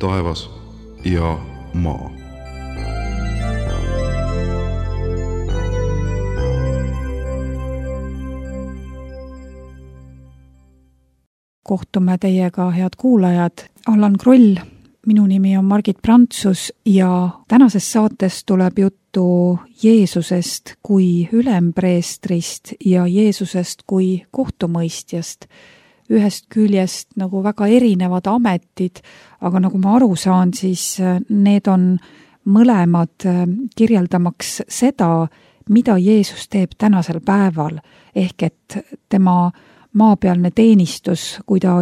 taevas ja maa. Kohtume teiega, head kuulajad. Allan Kroll, minu nimi on Margit Prantsus ja tänases saates tuleb juttu Jeesusest kui ülempreestrist ja Jeesusest kui kohtumõistjast. Ühest küljest nagu väga erinevad ametid, aga nagu ma aru saan, siis need on mõlemad kirjeldamaks seda, mida Jeesus teeb tänasel päeval, ehk et tema maapealne teenistus, kui ta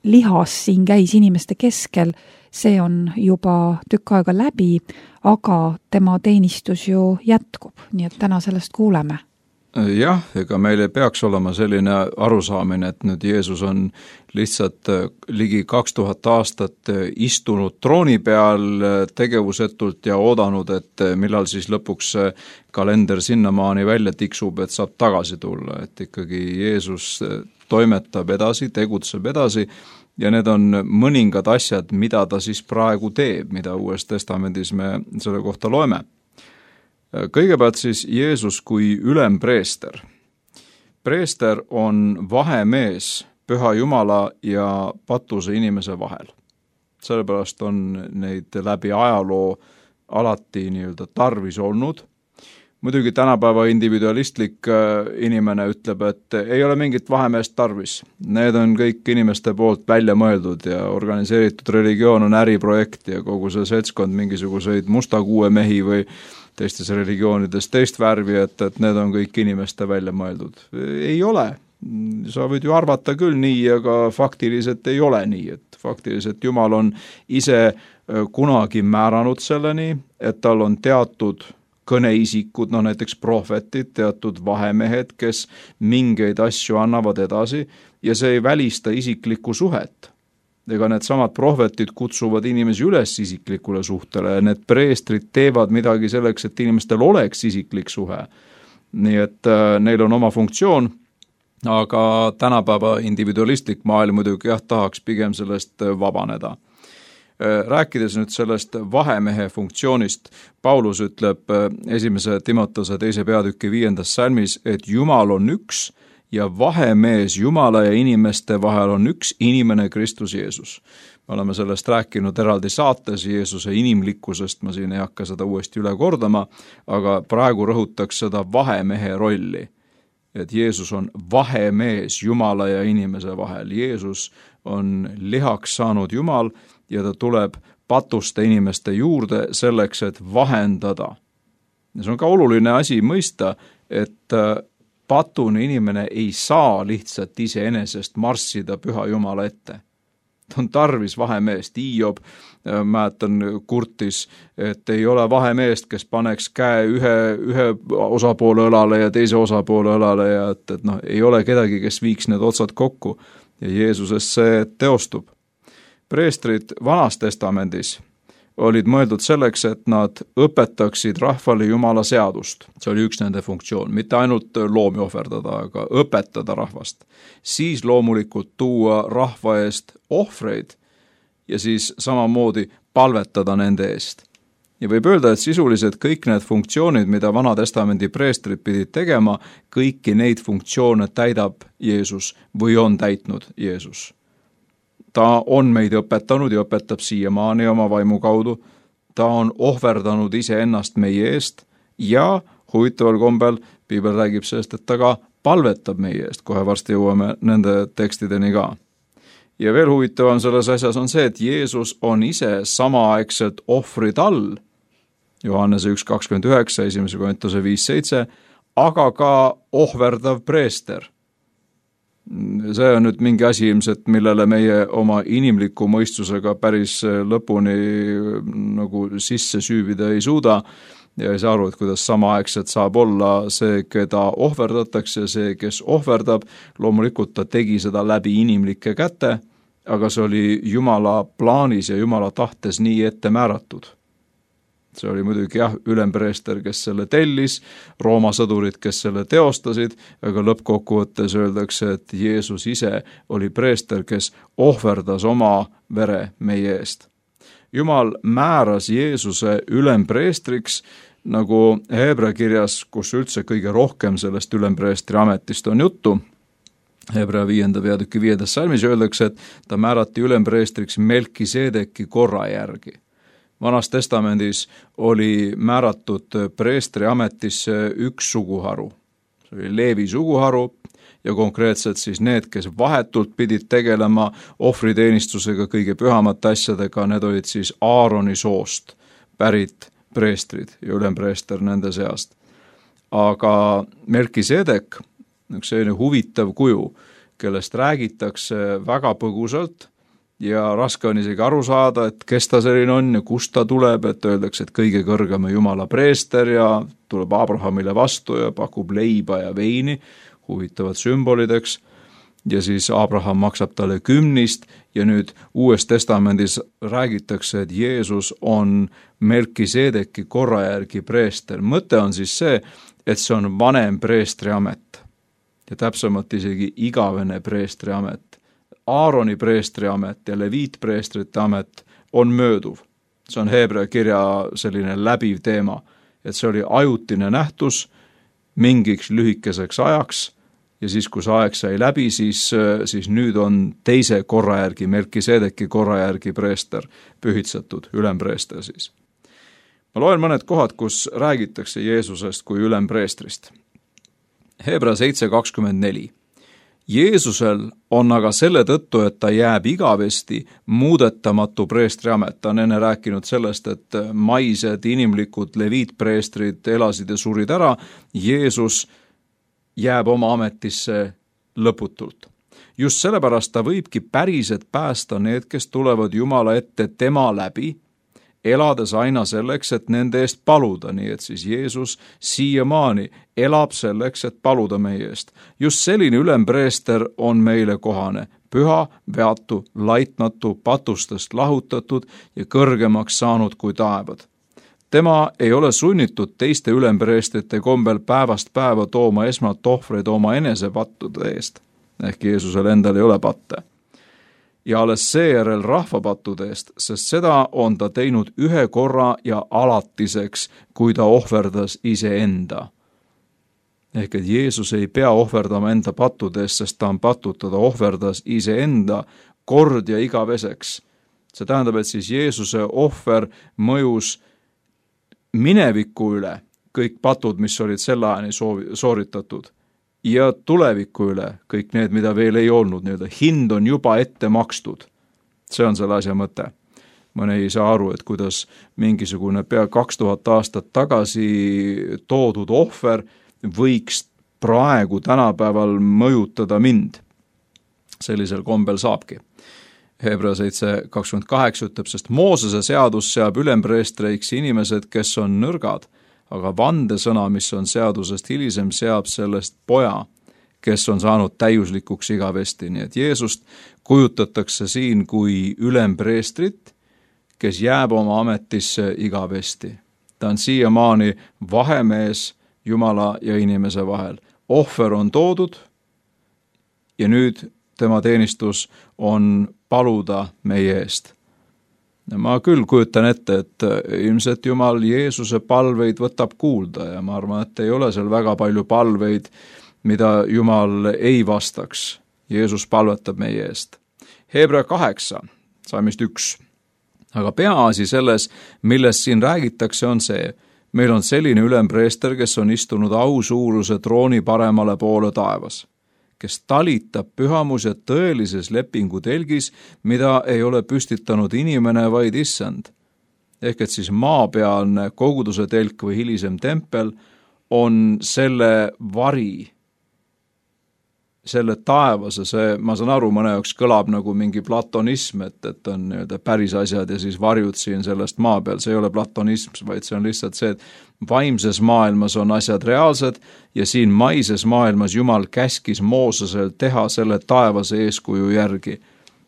lihas siin käis inimeste keskel, see on juba tükk aega läbi, aga tema teenistus ju jätkub, nii et täna sellest kuuleme. Jah, ega meil ei peaks olema selline arusaamine, et nüüd Jeesus on lihtsalt ligi 2000 aastat istunud trooni peal tegevusetult ja oodanud, et millal siis lõpuks kalender sinnamaani välja tiksub, et saab tagasi tulla, et ikkagi Jeesus toimetab edasi, tegutseb edasi ja need on mõningad asjad, mida ta siis praegu teeb, mida Uues Testamendis me selle kohta loeme. Kõigepealt siis Jeesus kui ülempreester. Preester on vahemees Püha Jumala ja patuse inimese vahel. Sellepärast on neid läbi ajaloo alati nii-öelda tarvis olnud. Muidugi tänapäeva individualistlik inimene ütleb, et ei ole mingit vahemeest tarvis. Need on kõik inimeste poolt välja mõeldud ja organiseeritud religioon on äriprojekt ja kogu see seltskond mingisuguseid musta kuuemehi või teistes religioonides teist värvi, et need on kõik inimeste välja mõeldud. Ei ole. Sa võid ju arvata küll nii, aga faktiliselt ei ole nii. Et faktiliselt Jumal on ise kunagi määranud selleni, et tal on teatud kõneisikud, näiteks prohvetid, teatud vahemehed, kes mingeid asju annavad edasi ja see ei välista isiklikku suhet. Ega need samad prohvetid kutsuvad inimesi üles isiklikule suhtele ja need preestrid teevad midagi selleks, et inimestel oleks isiklik suhe. Nii et neil on oma funktsioon, aga tänapäeva individualistlik maailm muidugi tahaks pigem sellest vabaneda. Rääkides nüüd sellest vahemehe funktsioonist, Paulus ütleb 1. Timotose 2. peatüki 5. salmis, et Jumal on üks ja vahemees Jumala ja inimeste vahel on üks inimene Kristus Jeesus. Me oleme sellest rääkinud eraldi saates Jeesuse inimlikkusest, ma siin ei hakka seda uuesti üle kordama, aga praegu rõhutaks seda vahemehe rolli. Et Jeesus on vahemees Jumala ja inimese vahel. Jeesus on lihaks saanud Jumal ja ta tuleb patuste inimeste juurde selleks, et vahendada. Ja see on ka oluline asi mõista, et patune inimene ei saa lihtsalt iseenesest marssida Püha Jumala ette. Ta on tarvis vahemeest. Hiob, mäletan, kurtis, et ei ole vahemeest, kes paneks käe ühe osapoole õlale ja teise osapoole õlale ja et ei ole kedagi, kes viiks need otsad kokku ja Jeesuses see teostub. Preestrid Vanas Testamendis olid mõeldud selleks, et nad õpetaksid rahvale Jumala seadust. See oli üks nende funktsioon, mitte ainult loomi ohverdada, aga õpetada rahvast. Siis loomulikult tuua rahva eest ohvreid ja siis samamoodi palvetada nende eest. Ja võib öelda, et sisuliselt kõik need funktsioonid, mida Vana Testamendi preestrid pidid tegema, kõiki neid funktsioone täidab Jeesus või on täitnud Jeesus. Ta on meid õpetanud ja õpetab siiamaani oma vaimu kaudu. Ta on ohverdanud iseennast meie eest ja huvitaval kombel Piibel räägib sellest, et ta ka palvetab meie eest. Kohe varsti jõuame nende tekstideni ka. Ja veel huvitavam selles asjas on see, et Jeesus on ise samaaegselt ohvrid all. Johannese 1.29, 1. Korintuse 5.7, aga ka ohverdav preester. See on nüüd mingi asi ilmselt, millele meie oma inimliku mõistusega päris lõpuni nagu sisse süüvida ei suuda ja ei saa aru, et kuidas samaaegselt saab olla see, keda ohverdatakse, see, kes ohverdab. Loomulikult ta tegi seda läbi inimlike käte, aga see oli Jumala plaanis ja Jumala tahtes nii ette määratud. See oli muidugi ülempreester, kes selle tellis, Rooma sõdurid, kes selle teostasid, aga lõppkokkuvõttes öeldakse, et Jeesus ise oli preester, kes ohverdas oma vere meie eest. Jumal määras Jeesuse ülempreestriks, nagu Hebra kirjas, kus üldse kõige rohkem sellest ülempreestri ametist on juttu. Hebra 5. peatüki 5. salmis öeldakse, et ta määrati ülempreestriks Melkisedeki korra järgi. Vanas testamendis oli määratud preestri ametisse üks suguharu. See oli Leevi suguharu ja konkreetselt siis need, kes vahetult pidid tegelema ohvriteenistusega, kõige pühamate asjadega, need olid siis Aaroni soost pärit preestrid ja ülempreester nende seast. Aga Melkisedek, üks selline huvitav kuju, kellest räägitakse väga põgusalt ja raske on isegi aru saada, et kes ta selline on ja kust ta tuleb, et öeldakse, et kõige kõrgema Jumala preester ja tuleb Abrahamile vastu ja pakub leiba ja veini, huvitavad sümbolideks, ja siis Abraham maksab talle 10 ja nüüd Uues testamendis räägitakse, et Jeesus on Melkisedeki korra järgi preester. Mõte on siis see, et see on vanem preestri amet ja täpsemalt isegi igavene preestri amet. Aaroni preestri amet ja leviitpreestrite amet on mööduv. See on Hebra kirja selline läbiv teema, et see oli ajutine nähtus mingiks lühikeseks ajaks ja siis, kui see aeg sai läbi, siis nüüd on teise korra järgi, Melkisedeki korra järgi preester pühitsetud, ülempreester siis. Ma loen mõned kohad, kus räägitakse Jeesusest kui ülempreestrist. Hebra 7.24. Jeesusel on aga selle tõttu, et ta jääb igavesti muudetamatu preestriamet. Ta on enne rääkinud sellest, et maised inimlikud leviitpreestrid elasid ja surid ära. Jeesus jääb oma ametisse lõputult. Just sellepärast ta võibki päriselt päästa need, kes tulevad Jumala ette tema läbi, elades aina selleks, et nende eest paluda, nii et siis Jeesus siiamaani elab selleks, et paluda meie eest. Just selline ülempreester on meile kohane, püha, veatu, laitmatu, patustest lahutatud ja kõrgemaks saanud kui taevad. Tema ei ole sunnitud teiste ülempreestrite kombel päevast päeva tooma esmalt ohvreid oma enese pattude eest, ehk Jeesusel endal ei ole patte. Ja alles seejärel rahvapattude eest, sest seda on ta teinud ühe korra ja alatiseks, kui ta ohverdas iseenda. Ehk et Jeesus ei pea ohverdama enda pattude eest, sest ta on patud, ta ohverdas iseenda kord ja igaveseks. See tähendab, et siis Jeesuse ohver mõjus mineviku üle, kõik patud, mis olid selle ajani sooritatud, ja tuleviku üle, kõik need, mida veel ei olnud, hind on juba ette makstud. See on selle asja mõte. Mõne ei saa aru, et kuidas mingisugune pea 2000 aastat tagasi toodud ohver võiks praegu tänapäeval mõjutada mind. Sellisel kombel saabki. Hebra 7.28 ütleb, sest Moosese seadus seab ülempreestreiks inimesed, kes on nõrgad, aga vandesõna, mis on seadusest hilisem, seab sellest poja, kes on saanud täiuslikuks igavesti. Nii et Jeesust kujutatakse siin kui ülempreestrit, kes jääb oma ametisse igavesti. Ta on siiamaani vahemees Jumala ja inimese vahel. Ohver on toodud ja nüüd tema teenistus on paluda meie eest. Ma küll kujutan ette, et ilmselt Jumal Jeesuse palveid võtab kuulda ja ma arvan, et ei ole seal väga palju palveid, mida Jumal ei vastaks. Jeesus palvetab meie eest. Hebra 8, salmist 1. Aga peaasi selles, millest siin räägitakse, on see, meil on selline ülempreester, kes on istunud ausuuruse trooni paremale poole taevas, kes talitab pühamus ja tõelises lepingu telgis, mida ei ole püstitanud inimene, vaid issand. Ehk et siis maapealne koguduse telk või hilisem tempel on selle vari, selle taevase, see, ma saan aru, mõne jaoks kõlab nagu mingi platonism, et on päris asjad ja siis varjud siin sellest maa peal, see ei ole platonism, vaid see on lihtsalt see, et vaimses maailmas on asjad reaalsed ja siin maises maailmas Jumal käskis Moosesel teha selle taevase eeskuju järgi.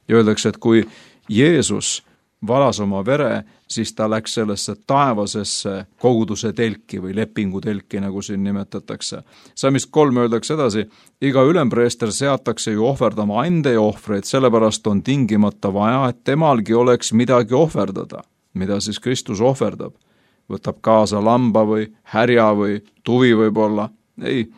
Ja öeldakse, et kui Jeesus valas oma vere, siis ta läks sellesse taevasesse koguduse telki või lepingu telki, nagu siin nimetatakse. Salmist 3 öeldakse edasi, iga ülempreester seatakse ju ohverdama ande ja ohvreid, sellepärast on tingimata vaja, et temalgi oleks midagi ohverdada. mida siis Kristus ohverdab. Võtab kaasa lamba või härja või tuvi võib-olla. Ei,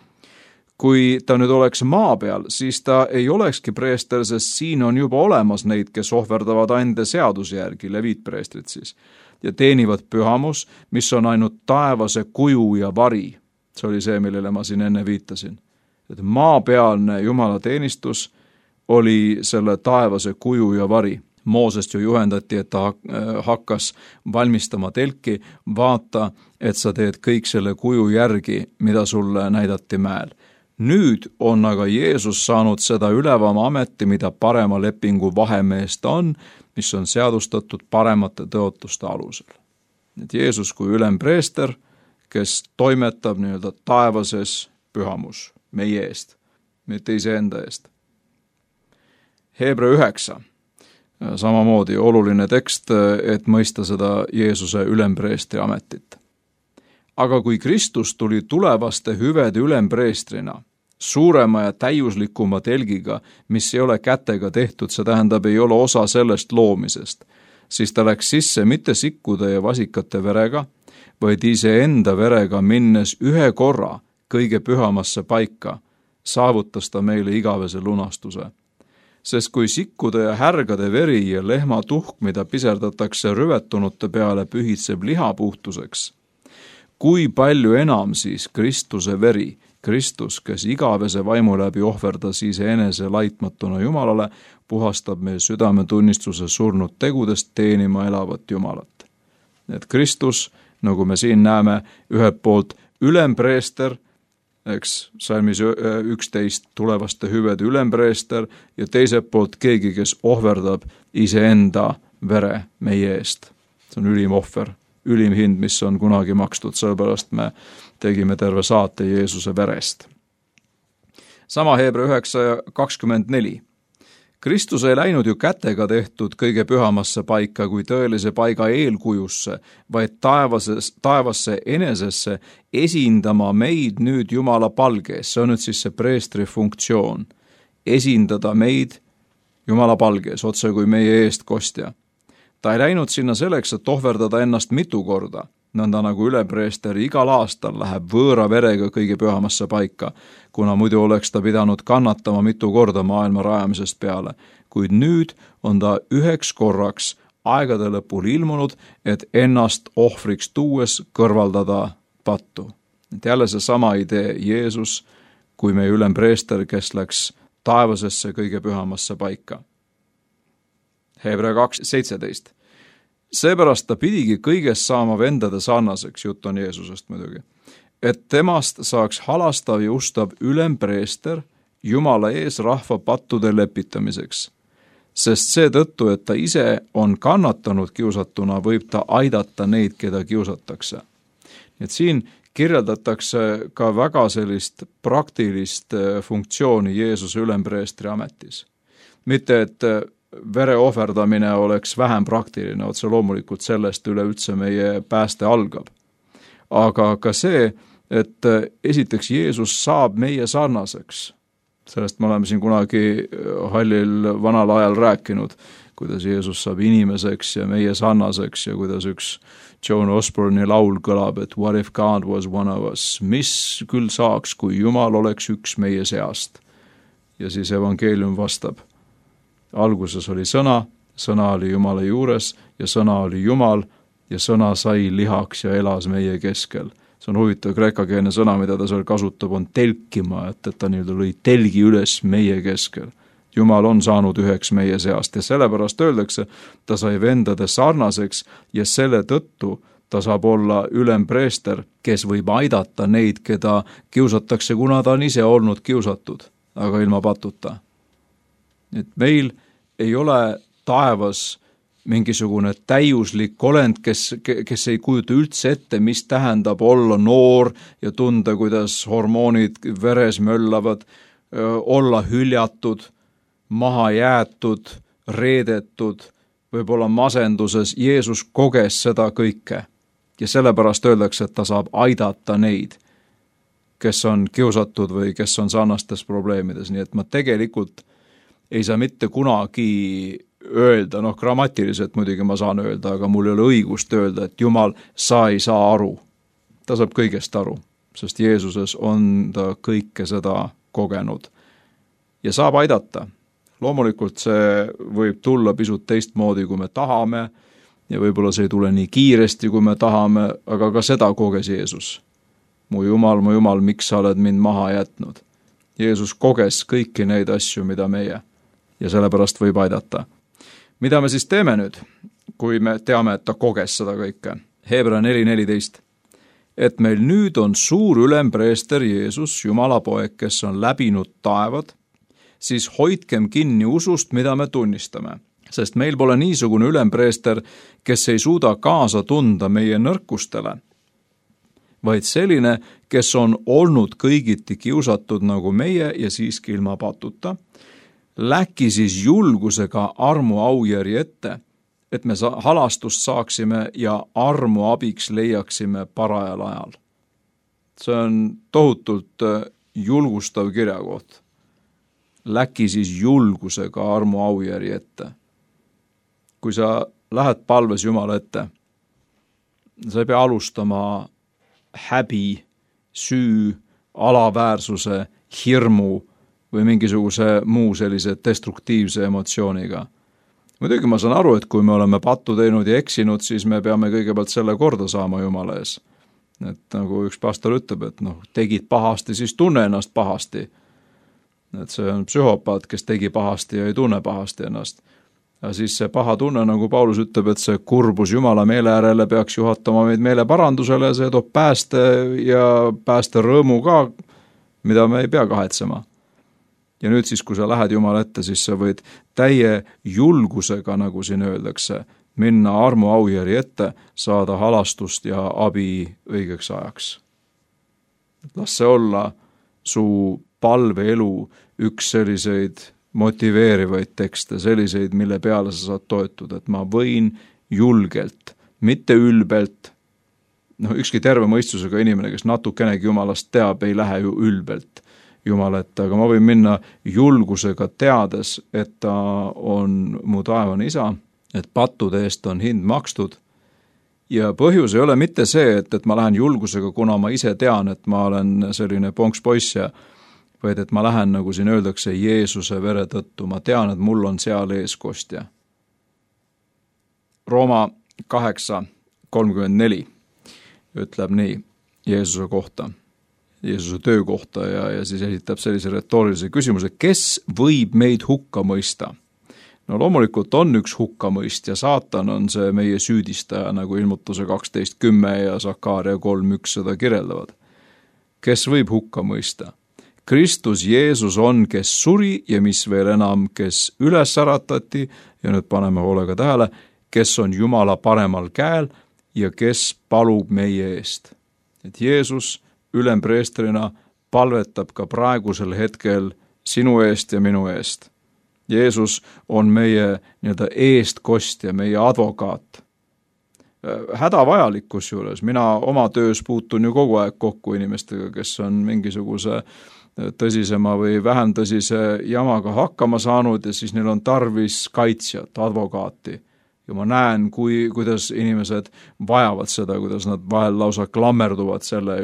kui ta nüüd oleks maa peal, siis ta ei olekski preester, sest siin on juba olemas neid, kes ohverdavad ande seaduse järgi, leviitpreestrid siis, ja teenivad pühamus, mis on ainult taevase kuju ja vari. See oli see, millele ma siin enne viitasin. Et maapealne Jumala teenistus oli selle taevase kuju ja vari. Moosest ju juhendati, et ta hakkas valmistama telki, vaata, et sa teed kõik selle kuju järgi, mida sulle näidati mäel. Nüüd on aga Jeesus saanud seda ülevama ameti, mida parema lepingu vahemeest on, mis on seadustatud paremate tõotuste alusel. Et Jeesus kui ülempreester, kes toimetab nii-öelda taevases pühamus meie eest, mitte iseenda eest. Hebra 9. Samamoodi oluline tekst, et mõista seda Jeesuse ülempreestri ametit. Aga kui Kristus tuli tulevaste hüvede ülempreestrina, suurema ja täiuslikuma telgiga, mis ei ole kätega tehtud, see tähendab, ei ole osa sellest loomisest, siis ta läks sisse mitte sikkude ja vasikate verega, vaid iseenda verega minnes ühe korra kõige pühamasse paika, saavutas ta meile igavese lunastuse. Sest kui sikkude ja härgade veri ja lehma tuhk, mida piserdatakse rüvetunute peale, pühitseb liha puhtuseks, kui palju enam siis Kristuse veri, Kristus, kes igavese vaimu läbi ohverdas iseenese laitmatuna Jumalale, puhastab meie südametunnistuse surnud tegudest teenima elavat Jumalat. Et Kristus, nagu me siin näeme, ühelt poolt ülempreester, eks salmis 11 tulevaste hüvede ülempreester ja teiselt poolt keegi, kes ohverdab iseenda vere meie eest. See on ülim ohver, ülim hind, mis on kunagi makstud, sellepärast me tegime terve saate Jeesuse verest. Sama Hebra 9:24. Kristus ei läinud ju kätega tehtud kõige pühamasse paika kui tõelise paiga eelkujusse, vaid taevasse enesesse esindama meid nüüd Jumala palgees. See on nüüd siis see preestri funktsioon. Esindada meid Jumala palgees, otse kui meie eestkostja. Ta ei läinud sinna selleks, et ohverdada ennast mitu korda, nõnda nagu ülepreester igal aastal läheb võõra verega kõige pühamasse paika, kuna muidu oleks ta pidanud kannatama mitu korda maailma rajamisest peale. Kuid nüüd on ta üheks korraks aegade lõpul ilmunud, et ennast ohvriks tuues kõrvaldada pattu. Et jälle see sama idee Jeesus kui meie ülempreester, kes läks taevasesse kõige pühamasse paika. Hebra 2:17. Seepärast ta pidigi kõigest saama vendade sarnaseks, jutt on Jeesusest muidugi, et temast saaks halastav ja ustav ülempreester Jumala ees rahva pattude lepitamiseks. Sest seetõttu, et ta ise on kannatanud kiusatuna, võib ta aidata neid, keda kiusatakse. Et siin kirjeldatakse ka väga sellist praktilist funktsiooni Jeesuse ülempreestri ametis. Mitte, et vere ohverdamine oleks vähem praktiline, otse loomulikult sellest üleüldse meie pääste algab. Aga ka see, et esiteks Jeesus saab meie sarnaseks. Sellest me oleme siin kunagi hallil vanal ajal rääkinud, kuidas Jeesus saab inimeseks ja meie sarnaseks ja kuidas üks Joan Osborne'i laul kõlab, et what if God was one of us, mis küll saaks, kui Jumal oleks üks meie seast. Ja siis evangeelium vastab. Alguses oli sõna, sõna oli Jumala juures ja sõna oli Jumal ja sõna sai lihaks ja elas meie keskel. See on huvitav kreekakeelne sõna, mida ta seal kasutab, on telkima, et ta nii-öelda lõi telgi üles meie keskel. Jumal on saanud üheks meie seast ja sellepärast öeldakse, ta sai vendade sarnaseks ja selle tõttu ta saab olla ülempreester, kes võib aidata neid, keda kiusatakse, kuna ta on ise olnud kiusatud, aga ilma patuta. Et meil ei ole taevas mingisugune täiuslik olend, kes ei kujuta üldse ette, mis tähendab olla noor ja tunda, kuidas hormoonid veres möllavad, olla hüljatud, maha jäetud, reedetud, võib-olla masenduses. Jeesus koges seda kõike ja sellepärast öeldakse, et ta saab aidata neid, kes on kiusatud või kes on sarnastes probleemides. Nii et ma tegelikult ei saa mitte kunagi öelda, grammatiliselt muidugi ma saan öelda, aga mul ei ole õigust öelda, et Jumal, sa ei saa aru. Ta saab kõigest aru, sest Jeesuses on ta kõike seda kogenud ja saab aidata. Loomulikult see võib tulla pisut teistmoodi, kui me tahame ja võib-olla see ei tule nii kiiresti, kui me tahame, aga ka seda koges Jeesus. Mu Jumal, miks sa oled mind maha jätnud? Jeesus koges kõiki neid asju, mida meie, ja sellepärast võib aidata. Mida me siis teeme nüüd, kui me teame, et ta koges seda kõike? Hebra 4:14. Et meil nüüd on suur ülempreester Jeesus, Jumala poeg, kes on läbinud taevad, siis hoidkem kinni usust, mida me tunnistame. Sest meil pole niisugune ülempreester, kes ei suuda kaasa tunda meie nõrkustele, vaid selline, kes on olnud kõigiti kiusatud nagu meie ja siiski ilma patuta, läki siis julgusega armu aujärje ette, et me halastust saaksime ja armu abiks leiaksime parajal ajal. See on tohutult julgustav kirjakoht. Läki siis julgusega armu aujärje ette. Kui sa lähed palves Jumala ette, sa ei pea alustama häbi, süü, alaväärsuse, hirmu või mingisuguse muu sellise destruktiivse emotsiooniga. Muidugi ma saan aru, et kui me oleme pattu teinud ja eksinud, siis me peame kõigepealt selle korda saama Jumala ees. Et nagu üks pastor ütleb, et tegid pahasti, siis tunne ennast pahasti. Et see on psühhopaat, kes tegi pahasti ja ei tunne pahasti ennast. Ja siis see paha tunne, nagu Paulus ütleb, et see kurbus Jumala meele äärele peaks juhatama meid meele parandusele ja see toob pääste ja pääste rõõmu ka, mida me ei pea kahetsema. Ja nüüd siis, kui sa lähed Jumala ette, siis sa võid täie julgusega, nagu siin öeldakse, minna armu aujärje ette, saada halastust ja abi õigeks ajaks. Las see olla su palveelu üks selliseid motiveerivaid tekste, selliseid, mille peale sa saad toetuda, et ma võin julgelt, mitte ülbelt. Ükski terve mõistusega inimene, kes natukenegi Jumalast teab, ei lähe ju ülbelt Jumala ette, aga ma võin minna julgusega teades, et ta on mu taevane isa, et pattude eest on hind makstud. Ja põhjus ei ole mitte see, et ma lähen julgusega, kuna ma ise tean, et ma olen selline ponkspoiss ja vaid et ma lähen, nagu siin öeldakse, Jeesuse vere tõttu. Ma tean, et mul on seal eeskostja. Rooma 8:34 ütleb nii Jeesuse kohta, Jeesuse töö kohta ja siis esitab sellise retoorilise küsimuse, kes võib meid hukka mõista? No loomulikult on üks hukkamõist ja saatan on see meie süüdistaja, nagu Ilmutuse 12:10 ja Sakaaria 3:1 seda kirjeldavad. Kes võib hukka mõista? Kristus Jeesus on, kes suri ja mis veel enam, kes üles äratati ja nüüd paneme hoolega tähele, kes on Jumala paremal käel ja kes palub meie eest. Et Jeesus ülempreestrina palvetab ka praegusel hetkel sinu eest ja minu eest. Jeesus on meie eestkostja, meie advokaat. Hädavajalik kusjuures, mina oma töös puutun ju kogu aeg kokku inimestega, kes on mingisuguse tõsisema või vähem tõsise jamaga hakkama saanud ja siis neil on tarvis kaitsjat, advokaati. Ja ma näen, kuidas inimesed vajavad seda, kuidas nad vahel lausa klammerduvad selle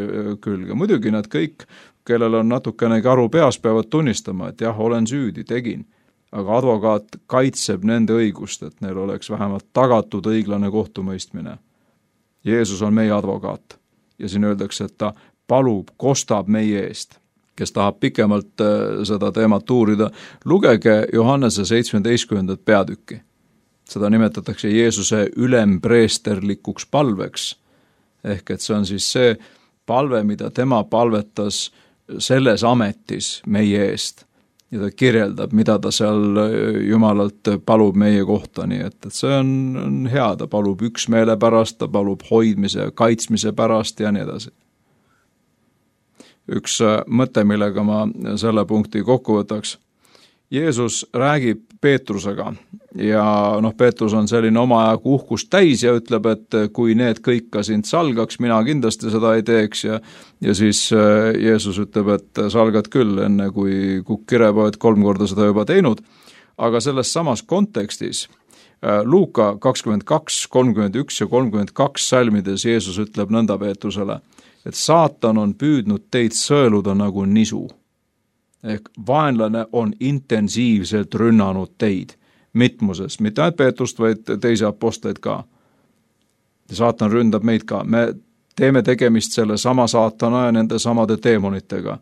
külge. Muidugi nad kõik, kellel on natukenegi aru peas, peavad tunnistama, et jah, olen süüdi, tegin. Aga advokaat kaitseb nende õigust, et neil oleks vähemalt tagatud õiglane kohtumõistmine. Jeesus on meie advokaat ja siin öeldakse, et ta palub, kostab meie eest. Kes tahab pikemalt seda teemat uurida, lugege Johannese 17. peatükki. Seda nimetatakse Jeesuse ülempreesterlikuks palveks. Ehk et see on siis see palve, mida tema palvetas selles ametis meie eest. Ja ta kirjeldab, mida ta seal Jumalalt palub meie kohta, nii et see on hea, ta palub üksmeele pärast, ta palub hoidmise ja kaitsmise pärast ja nii edasi. Üks mõte, millega ma selle punkti kokku võtaks. Jeesus räägib Peetrusega ja Peetrus on selline oma ajagu uhkust täis ja ütleb, et kui need kõik ka sind salgaks, mina kindlasti seda ei teeks ja siis Jeesus ütleb, et salgad küll, enne kui kukk kirepoed 3 korda seda juba teinud. aga selles samas kontekstis Luuka 22, 31 ja 32 salmides Jeesus ütleb nõnda Peetrusele, et saatan on püüdnud teid sõeluda nagu nisu. Ehk vaenlane on intensiivselt rünnanud teid mitmuses, mitte ainult Peetrust, vaid teisi apostleid ka. Ja saatan ründab meid ka. Me teeme tegemist selle sama saatana ja nende samade teemonitega.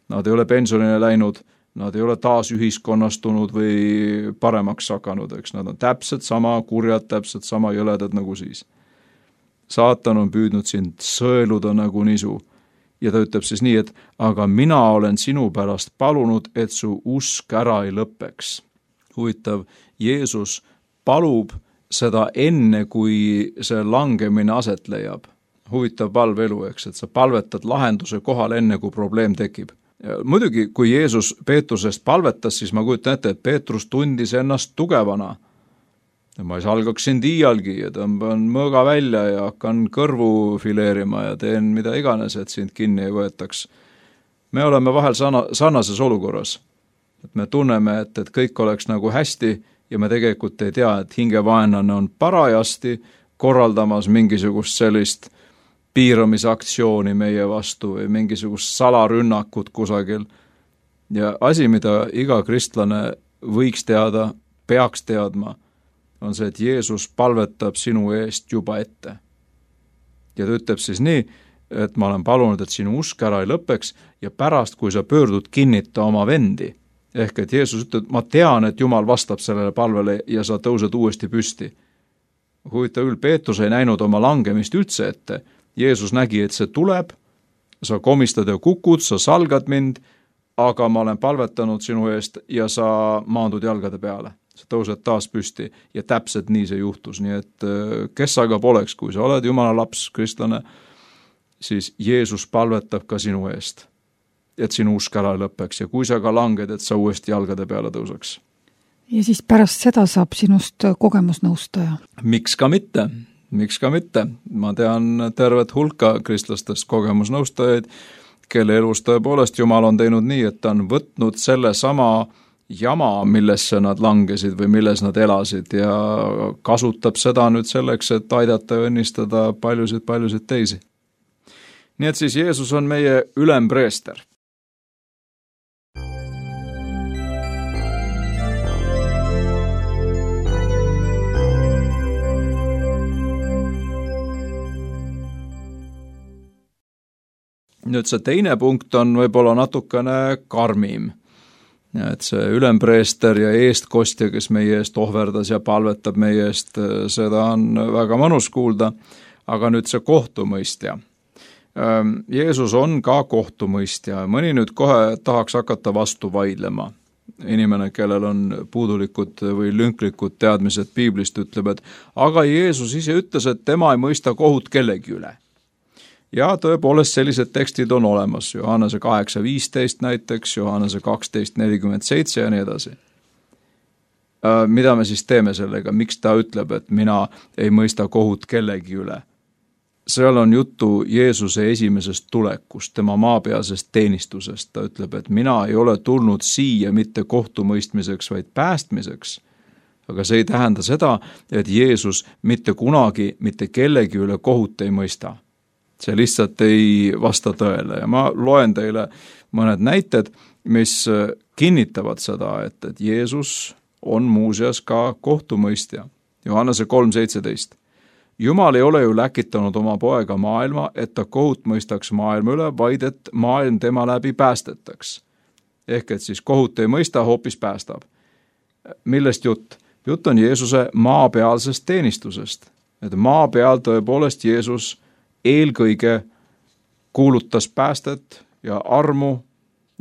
Nad ei ole pensionile läinud, nad ei ole taas ühiskonnastunud või paremaks hakanud, eks nad on täpselt sama kurjad, täpselt sama jõledad nagu siis. Saatan on püüdnud sind sõeluda nagu nisu ja ta ütleb siis nii, et aga mina olen sinu pärast palunud, et su usk ära ei lõppeks. Huvitav, Jeesus palub seda enne, kui see langemine aset leiab. Huvitav palveelu, eks, et sa palvetad lahenduse kohal enne, kui probleem tekib. Ja muidugi, kui Jeesus Peetrusest palvetas, siis ma kujutan ette, et Peetrus tundis ennast tugevana. Ja ma ei salgaks sind iialgi ja tõmban mõõga välja ja hakkan kõrvu fileerima ja teen mida iganes, et sind kinni ei võetaks. Me oleme vahel sarnases olukorras. Et me tunneme, et kõik oleks nagu hästi ja me tegelikult ei tea, et hingevaenlane on parajasti korraldamas mingisugust sellist piiramisaktsiooni meie vastu või mingisugust salarünnakut kusagil. Ja asi, mida iga kristlane võiks teada, peaks teadma, on see, et Jeesus palvetab sinu eest juba ette. Ja ta ütleb siis nii, et ma olen palunud, et sinu usk ära ei lõppeks ja pärast, kui sa pöördud, kinnita oma vendi. Ehk et Jeesus ütleb, ma tean, et Jumal vastab sellele palvele ja sa tõused uuesti püsti. Huvitav küll, Peetrus ei näinud oma langemist üldse ette. Jeesus nägi, et see tuleb, sa komistad ja kukud, sa salgad mind, aga ma olen palvetanud sinu eest ja sa maandud jalgade peale. Sa tõused taas püsti ja täpselt nii see juhtus. Nii et kes aga poleks, kui sa oled Jumala laps, kristlane, siis Jeesus palvetab ka sinu eest, et sinu usk ära lõppeks ja kui sa ka langed, et sa uuesti jalgade peale tõuseks. Ja siis pärast seda saab sinust kogemusnõustaja. Miks ka mitte? Ma tean tervet hulka kristlastest kogemusnõustajaid, kelle elus tõepoolest Jumal on teinud nii, et ta on võtnud selle sama jama, millesse nad langesid või milles nad elasid ja kasutab seda nüüd selleks, et aidata ja õnnistada paljusid teisi. Nii et siis Jeesus on meie ülempreester. Nüüd see teine punkt on võib-olla natukene karmim. Et see ülempreester ja eestkostja, kes meie eest ohverdas ja palvetab meie eest, seda on väga mõnus kuulda, aga nüüd see kohtumõistja. Jeesus on ka kohtumõistja. Mõni nüüd kohe tahaks hakata vastu vaidlema. Inimene, kellel on puudulikud või lünklikud teadmised piiblist, ütleb, et aga Jeesus ise ütles, et tema ei mõista kohut kellegi üle. Ja tõepoolest sellised tekstid on olemas, Johannese 8.15 näiteks, Johannese 12.47 ja nii edasi. Mida me siis teeme sellega? Miks ta ütleb, et mina ei mõista kohut kellegi üle? Seal on juttu Jeesuse esimesest tulekust, tema maapealsest teenistusest. Ta ütleb, et mina ei ole tulnud siia mitte kohtumõistmiseks, vaid päästmiseks. Aga see ei tähenda seda, et Jeesus mitte kunagi mitte kellegi üle kohut ei mõista. See lihtsalt ei vasta tõele ja ma loen teile mõned näited, mis kinnitavad seda, et Jeesus on muuseas ka kohtumõistja. Johannese 3.17. Jumal ei ole ju läkitanud oma poega maailma, et ta kohut mõistaks maailma üle, vaid et maailm tema läbi päästetaks. Ehk et siis kohut ei mõista, hoopis päästab. Millest jutt? Jutt on Jeesuse maapealsest teenistusest. Et maa peal tõepoolest Jeesus eelkõige kuulutas päästet ja armu,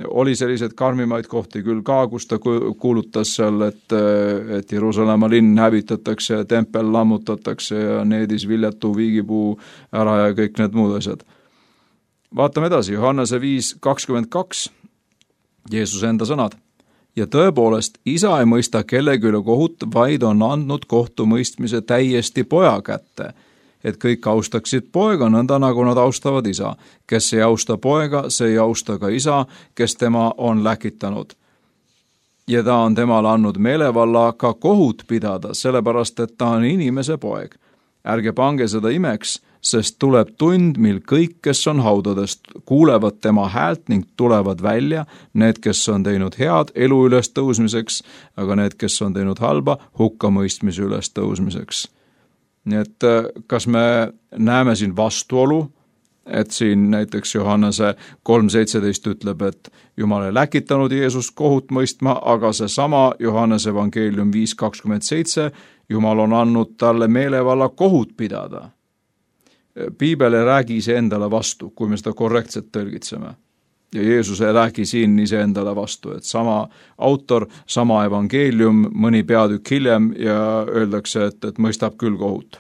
oli sellised karmimaid kohti küll ka, kus ta kuulutas seal, et Jeruusalemma linn hävitatakse ja tempel lammutatakse ja needis viljatu viigipuu ära ja kõik need muud asjad. Vaatame edasi, Johannese 5.22, Jeesuse enda sõnad. Ja tõepoolest, isa ei mõista kellegi üle kohut, vaid on andnud kohtumõistmise täiesti poja kätte, et kõik austaksid poega nõnda, nagu nad austavad isa. Kes ei austa poega, see ei austa ka isa, kes tema on läkitanud. ja ta on temale andnud meelevalla ka kohut pidada, sellepärast et ta on inimese poeg. Ärge pange seda imeks, sest tuleb tund, mil kõik, kes on haudadest, kuulevad tema häält ning tulevad välja, need, kes on teinud head elu üles tõusmiseks, aga need, kes on teinud halba, hukkamõistmise üles tõusmiseks. Nii et kas me näeme siin vastuolu, et siin näiteks Johannese 3.17 ütleb, et Jumal ei läkitanud Jeesust kohut mõistma, aga seesama Johannese evangeelium 5.27, Jumal on andnud talle meelevalla kohut pidada. Piibel ei räägi iseendale vastu, kui me seda korrektselt tõlgitseme. Ja Jeesus ei räägi siin iseendale vastu, et sama autor, sama evangeelium, mõni peatükk hiljem ja öeldakse, et mõistab küll kohut.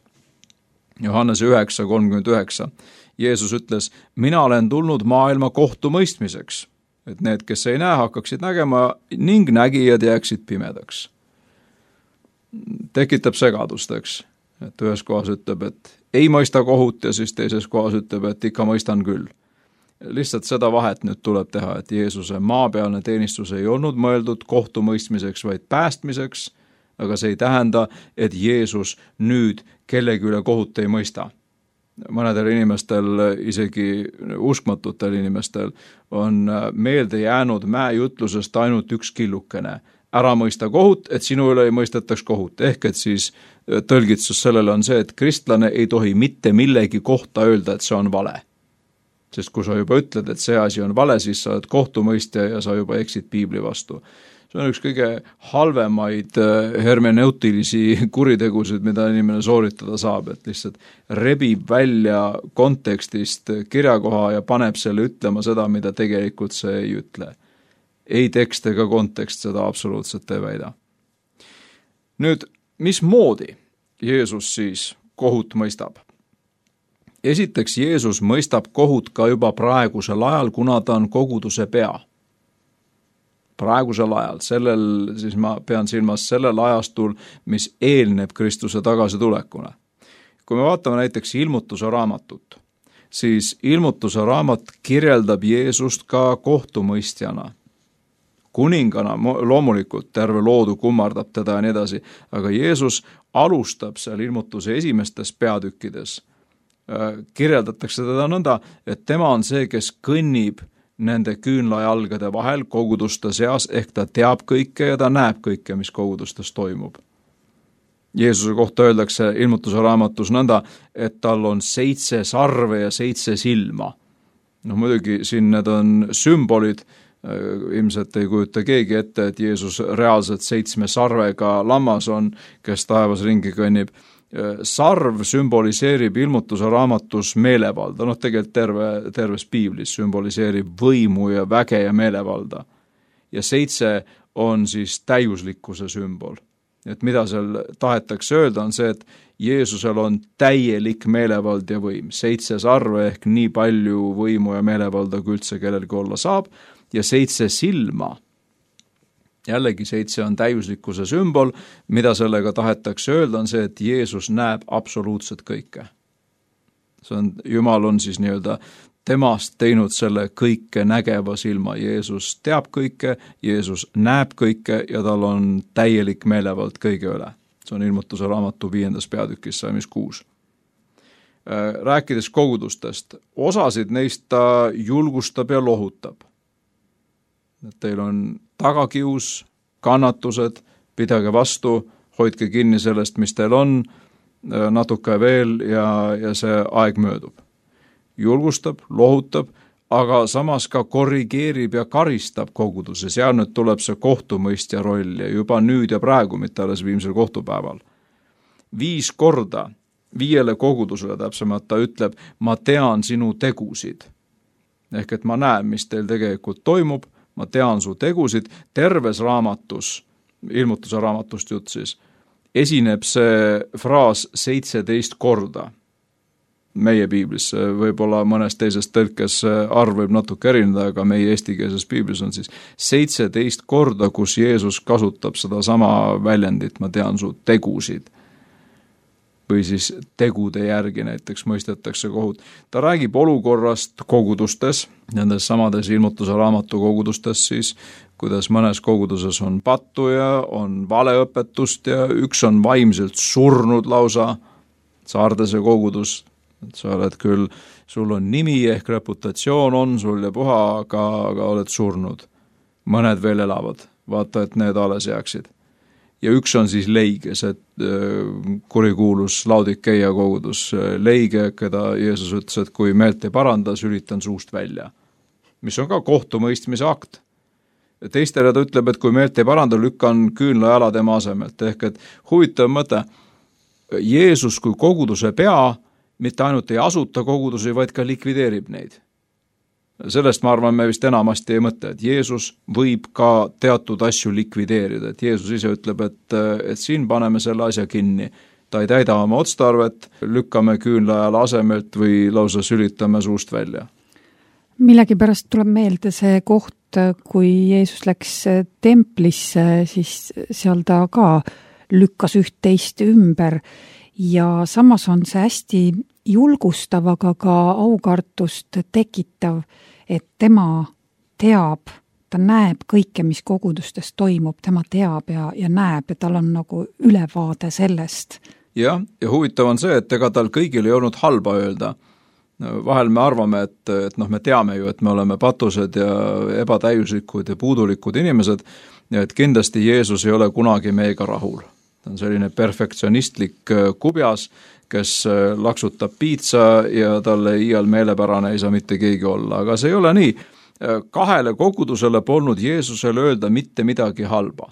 Johannese 9.39. Jeesus ütles, mina olen tulnud maailma kohtu mõistmiseks, et need, kes ei näe, hakkaksid nägema ning nägijad jääksid pimedaks. Tekitab segadust, eks, et ühes kohas ütleb, et ei mõista kohut ja siis teises kohas ütleb, et ikka mõistan küll. Lihtsalt seda vahet nüüd tuleb teha, et Jeesuse maapealne teenistus ei olnud mõeldud kohtumõistmiseks, vaid päästmiseks, aga see ei tähenda, et Jeesus nüüd kellegi üle kohut ei mõista. Mõnedel inimestel, isegi uskmatutel inimestel, on meelde jäänud mäejutlusest ainult üks killukene. Ära mõista kohut, et sinu üle ei mõistetaks kohut. Ehk et siis tõlgitsus sellele on see, et kristlane ei tohi mitte millegi kohta öelda, et see on vale. Sest kui sa juba ütled, et see asi on vale, siis sa oled kohtumõistja ja sa juba eksid piibli vastu. See on üks kõige halvemaid hermeneutilisi kuritegusid, mida inimene sooritada saab, et lihtsalt rebib välja kontekstist kirjakoha ja paneb selle ütlema seda, mida tegelikult see ei ütle. Ei tekst ega kontekst seda absoluutselt ei väida. Nüüd, mismoodi Jeesus siis kohut mõistab? Esiteks, Jeesus mõistab kohut ka juba praegusel ajal, kuna ta on koguduse pea. Praegusel ajal, siis ma pean silmas sellel ajastul, mis eelneb Kristuse tagasitulekuna. Kui me vaatame näiteks Ilmutuse raamatut, siis Ilmutuse raamat kirjeldab Jeesust ka kohtumõistjana. Kuningana loomulikult terve loodu kummardab teda ja nii edasi, aga Jeesus alustab seal Ilmutuse esimestes peatükkides. Kirjeldatakse teda nõnda, et tema on see, kes kõnnib nende küünlajalgade vahel koguduste seas, ehk ta teab kõike ja ta näeb kõike, mis kogudustes toimub. Jeesuse kohta öeldakse Ilmutuse raamatus nõnda, et tal on 7 sarve ja 7 silma. Muidugi siin need on sümbolid, ilmselt ei kujuta keegi ette, et Jeesus reaalselt 7 sarvega lammas on, kes taevas ringi kõnnib. Sarv sümboliseerib Ilmutuse raamatus meelevalda, tegelikult terves piiblis sümboliseerib võimu ja väge ja meelevalda. Ja 7 on siis täiuslikkuse sümbol. Et mida seal tahetakse öelda on see, et Jeesusel on täielik meelevald ja võim. 7 sarve ehk nii palju võimu ja meelevalda, kui üldse kellelgi olla saab, ja 7 silma. Jällegi 7 on täiuslikkuse sümbol, mida sellega tahetakse öelda on see, et Jeesus näeb absoluutselt kõike. Jumal on siis nii-öelda temast teinud selle kõike nägeva silma. Jeesus teab kõike, Jeesus näeb kõike ja tal on täielik meelevald kõige üle. See on Ilmutuse raamatu 5. peatükis, salmis 6. Rääkides kogudustest, osasid neist ta julgustab ja lohutab. Teil on tagakius, kannatused, pidage vastu, hoidke kinni sellest, mis teil on, natuke veel ja see aeg möödub. Julgustab, lohutab, aga samas ka korrigeerib ja karistab koguduses. Ja nüüd tuleb see kohtumõistja roll ja juba nüüd ja praegu, mitte alles viimsel kohtupäeval. 5 korda 5 kogudusele täpsemalt ta ütleb, ma tean sinu tegusid. Ehk et ma näen, mis teil tegelikult toimub, ma tean su tegusid, terves raamatus, Ilmutuse raamatust jutt siis, esineb see fraas 17 korda. Meie piiblis, võib-olla mõnes teises tõlkes arv võib natuke erineda, aga meie eestikeelses piiblis on siis 17 korda, kus Jeesus kasutab seda sama väljendit, ma tean su tegusid. Või siis tegude järgi näiteks mõistetakse kohut. Ta räägib olukorrast kogudustes, nendes samades Ilmutuse raamatu kogudustes siis, kuidas mõnes koguduses on pattu ja on valeõpetust ja üks on vaimselt surnud lausa, Saardese kogudus, et sa oled küll, sul on nimi ehk reputatsioon on sul ja puha, aga oled surnud. Mõned veel elavad, vaata, et need alles jääksid. Ja üks on siis leige, see kurikuulus Laodikeia kogudus, leige, keda Jeesus ütles, et kui meelt ei paranda, sülitan suust välja. Mis on ka kohtumõistmise akt. Teistele ta ütleb, et kui meelt ei paranda, lükkan küünla jala tema asemelt. Ehk et huvitav mõte, Jeesus kui koguduse pea mitte ainult ei asuta kogudusi, vaid ka likvideerib neid. Sellest ma arvan, me vist enamasti ei mõtle, et Jeesus võib ka teatud asju likvideerida, et Jeesus ise ütleb, et siin paneme selle asja kinni. Ta ei täida oma otstarvet, lükkame küünlajal asemelt või lausa sülitame suust välja. Millegipärast tuleb meelde see koht, kui Jeesus läks templisse, siis seal ta ka lükkas üht-teist ümber ja samas on see hästi julgustav, aga ka aukartust tekitav, et tema teab, ta näeb kõike, mis kogudustes toimub, tema teab ja näeb ja tal on nagu ülevaade sellest. Ja huvitav on see, et ega tal kõigil ei olnud halba öelda. Vahel me arvame, et me teame ju, et me oleme patused ja ebatäiuslikud ja puudulikud inimesed ja et kindlasti Jeesus ei ole kunagi meiega rahul. Ta on selline perfektsionistlik kubjas, kes laksutab piitsa ja talle iial meelepärane ei saa mitte keegi olla, aga see ei ole nii. 2 kogudusele polnud Jeesusele öelda mitte midagi halba.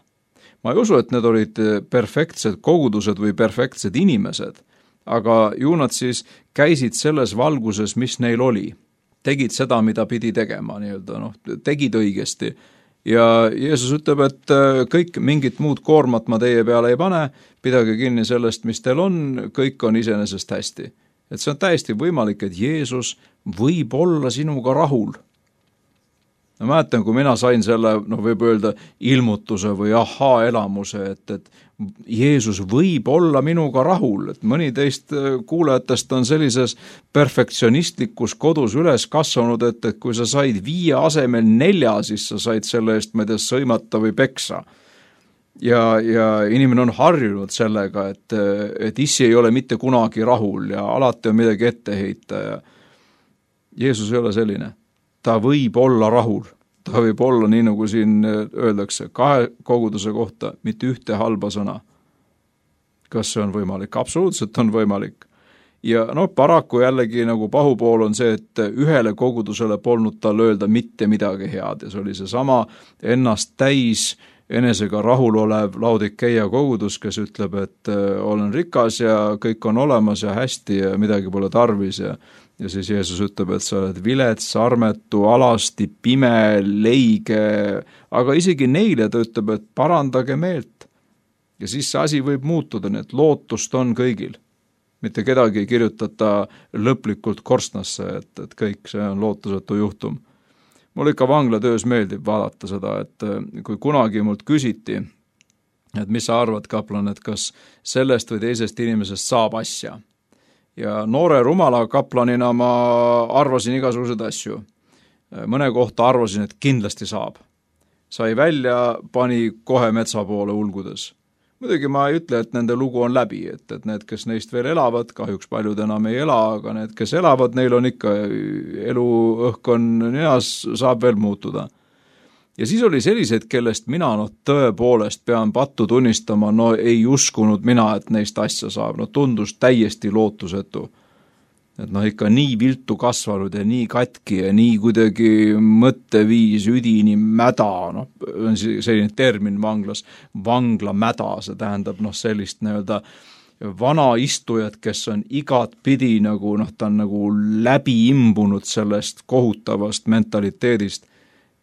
Ma ei usu, et need olid perfektsed kogudused või perfektsed inimesed, aga ju nad siis käisid selles valguses, mis neil oli. Tegid seda, mida pidi tegema, tegid õigesti. Ja Jeesus ütleb, et kõik mingit muud koormat ma teie peale ei pane, pidage kinni sellest, mis teil on, kõik on iseenesest hästi. Et see on täiesti võimalik, et Jeesus võib olla sinuga rahul. Ma mäletan, kui mina sain selle, võib öelda ilmutuse või elamuse, et Jeesus võib olla minuga rahul, et mõni teist kuulajatest on sellises perfektsionistlikus kodus üles kasvanud, et kui sa said 5 asemel 4, siis sa said selle eest, ma ei tea, sõimata või peksa. Ja inimene on harjunud sellega, et issi ei ole mitte kunagi rahul ja alati on midagi ette heita ja Jeesus ei ole selline. Ta võib olla rahul, ta võib olla nii, nagu siin öeldakse, 2 koguduse kohta, mitte ühte halba sõna. Kas see on võimalik? Absoluutselt on võimalik. Ja paraku jällegi nagu pahupool on see, et ühele kogudusele polnud tal öelda mitte midagi head ja see oli see sama ennast täis, enesega rahul olev Laodikeia kogudus, kes ütleb, et olen rikas ja kõik on olemas ja hästi ja midagi pole tarvis ja siis Jeesus ütleb, et sa oled vilets, armetu, alasti, pime, leige, aga isegi neile ta ütleb, et parandage meelt. Ja siis see asi võib muutuda, nii et lootust on kõigil. Mitte kedagi ei kirjutata lõplikult korstnasse, et kõik see on lootusetu juhtum. Mul ikka vanglatöös meeldib vaadata seda, et kui kunagi mult küsiti, et mis sa arvad, kaplan, et kas sellest või teisest inimesest saab asja. Ja noore rumala kaplanina ma arvasin igasuguseid asju. Mõne kohta arvasin, et kindlasti saab. Sai välja, pani kohe metsa poole ulgudes. Muidugi ma ei ütle, et nende lugu on läbi, et need, kes neist veel elavad, kahjuks paljud enam ei ela, aga need, kes elavad, neil on ikka eluõhkkon neas, saab veel muutuda. Ja siis oli sellised, kellest mina tõepoolest pean pattu tunnistama, ei uskunud mina, et neist asja saab, tundus täiesti lootusetu. Et ikka nii viltu kasvanud ja nii katki ja nii kuidagi mõtteviis, üdini mäda, on selline termin vanglas, vanglamäda, see tähendab sellist vana istujat, kes on igat pidi ta on nagu läbi imbunud sellest kohutavast mentaliteedist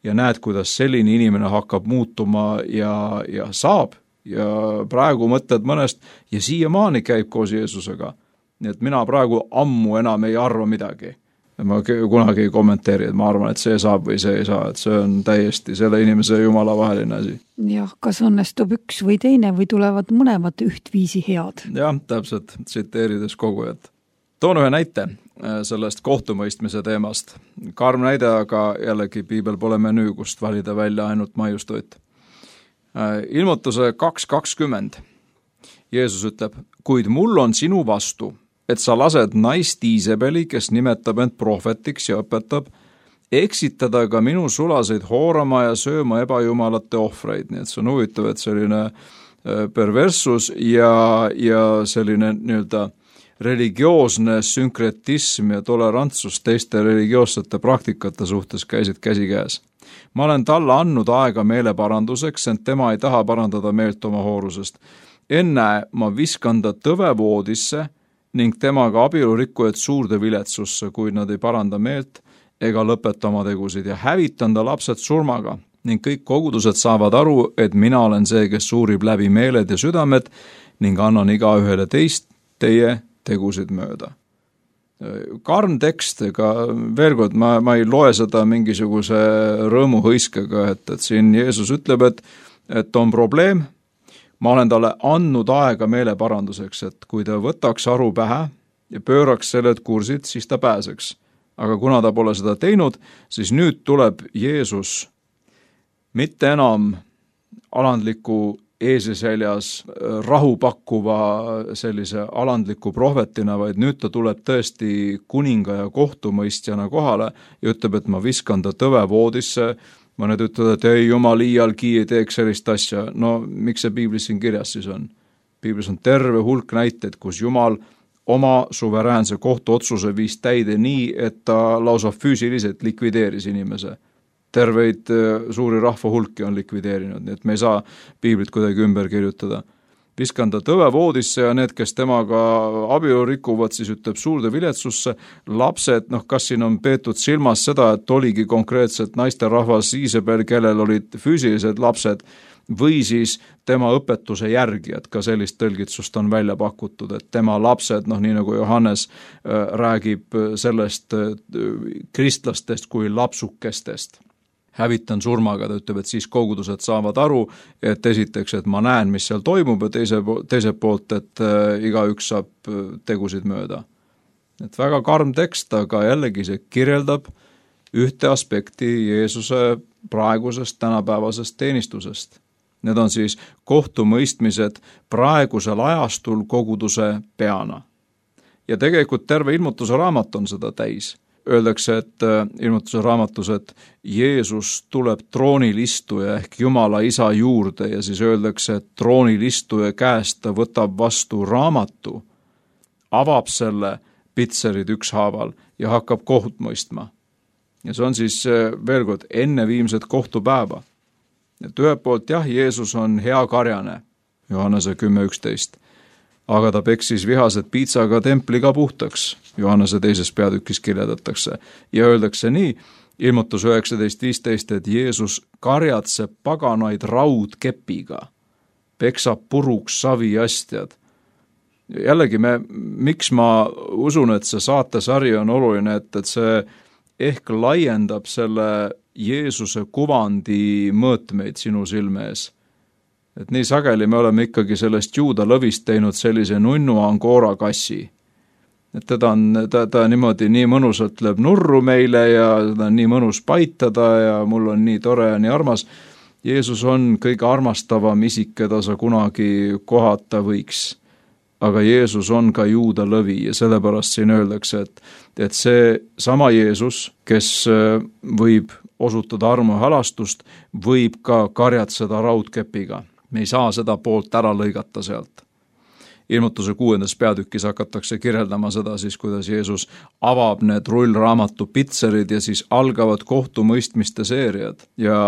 ja näed, kuidas selline inimene hakkab muutuma ja saab ja praegu mõtled mõnest ja siiamaani käib koos Jeesusega. Nii et mina praegu ammu enam ei arva midagi. Ma kunagi ei kommenteeri, et ma arvan, et see saab või see ei saa, et see on täiesti selle inimese jumala vaheline asi. Jah, kas õnnestub üks või teine või tulevad mõlemad ühtviisi head? Jah, täpselt, tsiteerides kogujat. Toon ühe näite. sellest kohtumõistmise teemast. Karm näide, aga jällegi piibel pole menüü, kust valida välja ainult maiustoit. Ilmutuse 2.20. Jeesus ütleb, kuid mul on sinu vastu, et sa lased naist Iisabeli, kes nimetab end prohvetiks ja õpetab, eksitada ka minu sulaseid hoorama ja sööma ebajumalate ohvreid. Nii et see on huvitav, et selline perverssus ja selline nii-öelda religioosne sünkretism ja tolerantsus teiste religioossete praktikate suhtes käisid käsikäes. Ma olen talle andnud aega meeleparanduseks, ent tema ei taha parandada meelt oma hoorusest. Enne ma viskan ta tõvevoodisse ning temaga abielurikkujad suurde viletsusse, kuid nad ei paranda meelt ega lõpeta oma tegusid ja hävitan ta lapsed surmaga ning kõik kogudused saavad aru, et mina olen see, kes uurib läbi meeled ja südamed ning annan igaühele teist teie tegusid mööda. Karm tekst, ega veel kord, ma ei loe seda mingisuguse rõõmuhõiskega, et siin Jeesus ütleb, et on probleem, ma olen talle andnud aega meeleparanduseks, et kui ta võtaks aru pähe ja pööraks sellelt kursid, siis ta pääseks. Aga kuna ta pole seda teinud, siis nüüd tuleb Jeesus mitte enam alandliku eesesäljas rahu pakkuva sellise alandliku prohvetina, vaid nüüd ta tuleb tõesti kuninga ja kohtumõistjana kohale ja ütleb, et ma viskan ta tõvevoodisse. Mõned ütlevad, et ei, jumal iialgi ei teeks sellist asja. No miks see piiblis siin kirjas siis on? Piiblis on terve hulk näiteid, kus Jumal oma suveräänse kohtuotsuse viis täide nii, et ta lausa füüsiliselt likvideeris inimese. Terveid suuri rahva hulki on likvideerinud, nii et me ei saa piiblit kuidagi ümber kirjutada. Viskan ta tõvevoodisse ja need, kes temaga abielu rikuvad, siis ütleb suurde viletsusse. Lapsed, kas siin on peetud silmas seda, et oligi konkreetselt naisterahvas Iisabel, kellel olid füüsilised lapsed, või siis tema õpetuse järgijad, ka sellist tõlgitsust on välja pakutud, et tema lapsed, nii nagu Johannes räägib sellest kristlastest kui lapsukestest. Hävitan surmaga, ta ütleb, et siis kogudused saavad aru, et esiteks, et ma näen, mis seal toimub ja teiselt poolt, et igaüks saab tegusid mööda. Et väga karm tekst, aga jällegi see kirjeldab ühte aspekti Jeesuse praegusest tänapäevasest teenistusest. Need on siis kohtumõistmised praegusel ajastul koguduse peana. Ja tegelikult terve ilmutuse raamat on seda täis. Öeldakse, et ilmutuse raamatus, et Jeesus tuleb troonilistuja ehk Jumala isa juurde ja siis öeldakse, et troonilistuja käest ta võtab vastu raamatu, avab selle pitserid ükshaaval ja hakkab kohut mõistma. Ja see on siis veel kord enne viimset kohtupäeva. Et ühelt poolt jah, Jeesus on hea karjane, Johannese 10.11. Aga ta peksis vihased piitsaga templiga puhtaks, Johannese 2. peatükis kirjeldatakse, ja öeldakse nii, ilmutus 19.15, et Jeesus karjatseb paganaid raudkepiga, peksab puruks saviastjad. Jällegi, miks ma usun, et see saatesari on oluline, et see ehk laiendab selle Jeesuse kuvandi mõõtmeid sinu silme ees. Et nii sageli me oleme ikkagi sellest juuda lõvist teinud sellise nunnu Angora kassi. Et ta niimoodi nii mõnusalt lööb nurru meile ja ta on nii mõnus paitada ja mul on nii tore ja nii armas. Jeesus on kõige armastavam isik, keda sa kunagi kohata võiks. Aga Jeesus on ka juuda lõvi ja sellepärast siin öeldakse, et see sama Jeesus, kes võib osutada armu ja halastust, võib ka karjatseda raudkepiga. Me ei saa seda poolt ära lõigata sealt. Ilmutuse 6. peatükis hakatakse kirjeldama seda siis, kuidas Jeesus avab need rullraamatu pitserid ja siis algavad kohtumõistmiste seeriad. Ja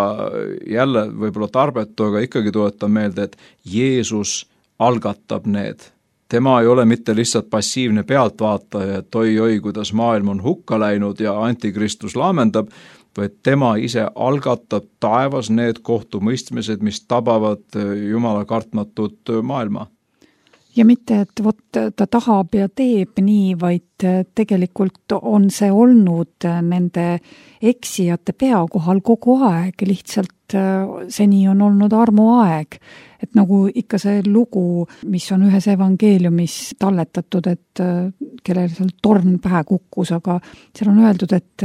jälle võib-olla tarbetu, aga ikkagi tuletan meelde, et Jeesus algatab need. Tema ei ole mitte lihtsalt passiivne pealtvaataja, et oi, kuidas maailm on hukka läinud ja antikristus laamendab, vaid tema ise algatab taevas need kohtumõistmised, mis tabavad Jumala kartmatut maailma. Ja mitte, et vot ta tahab ja teeb nii, vaid tegelikult on see olnud nende eksijate pea kohal kogu aeg, lihtsalt seni on olnud armuaeg. Et nagu ikka see lugu, mis on ühes evangeeliumis talletatud, et kellel seal torn pähe kukkus, aga seal on öeldud, et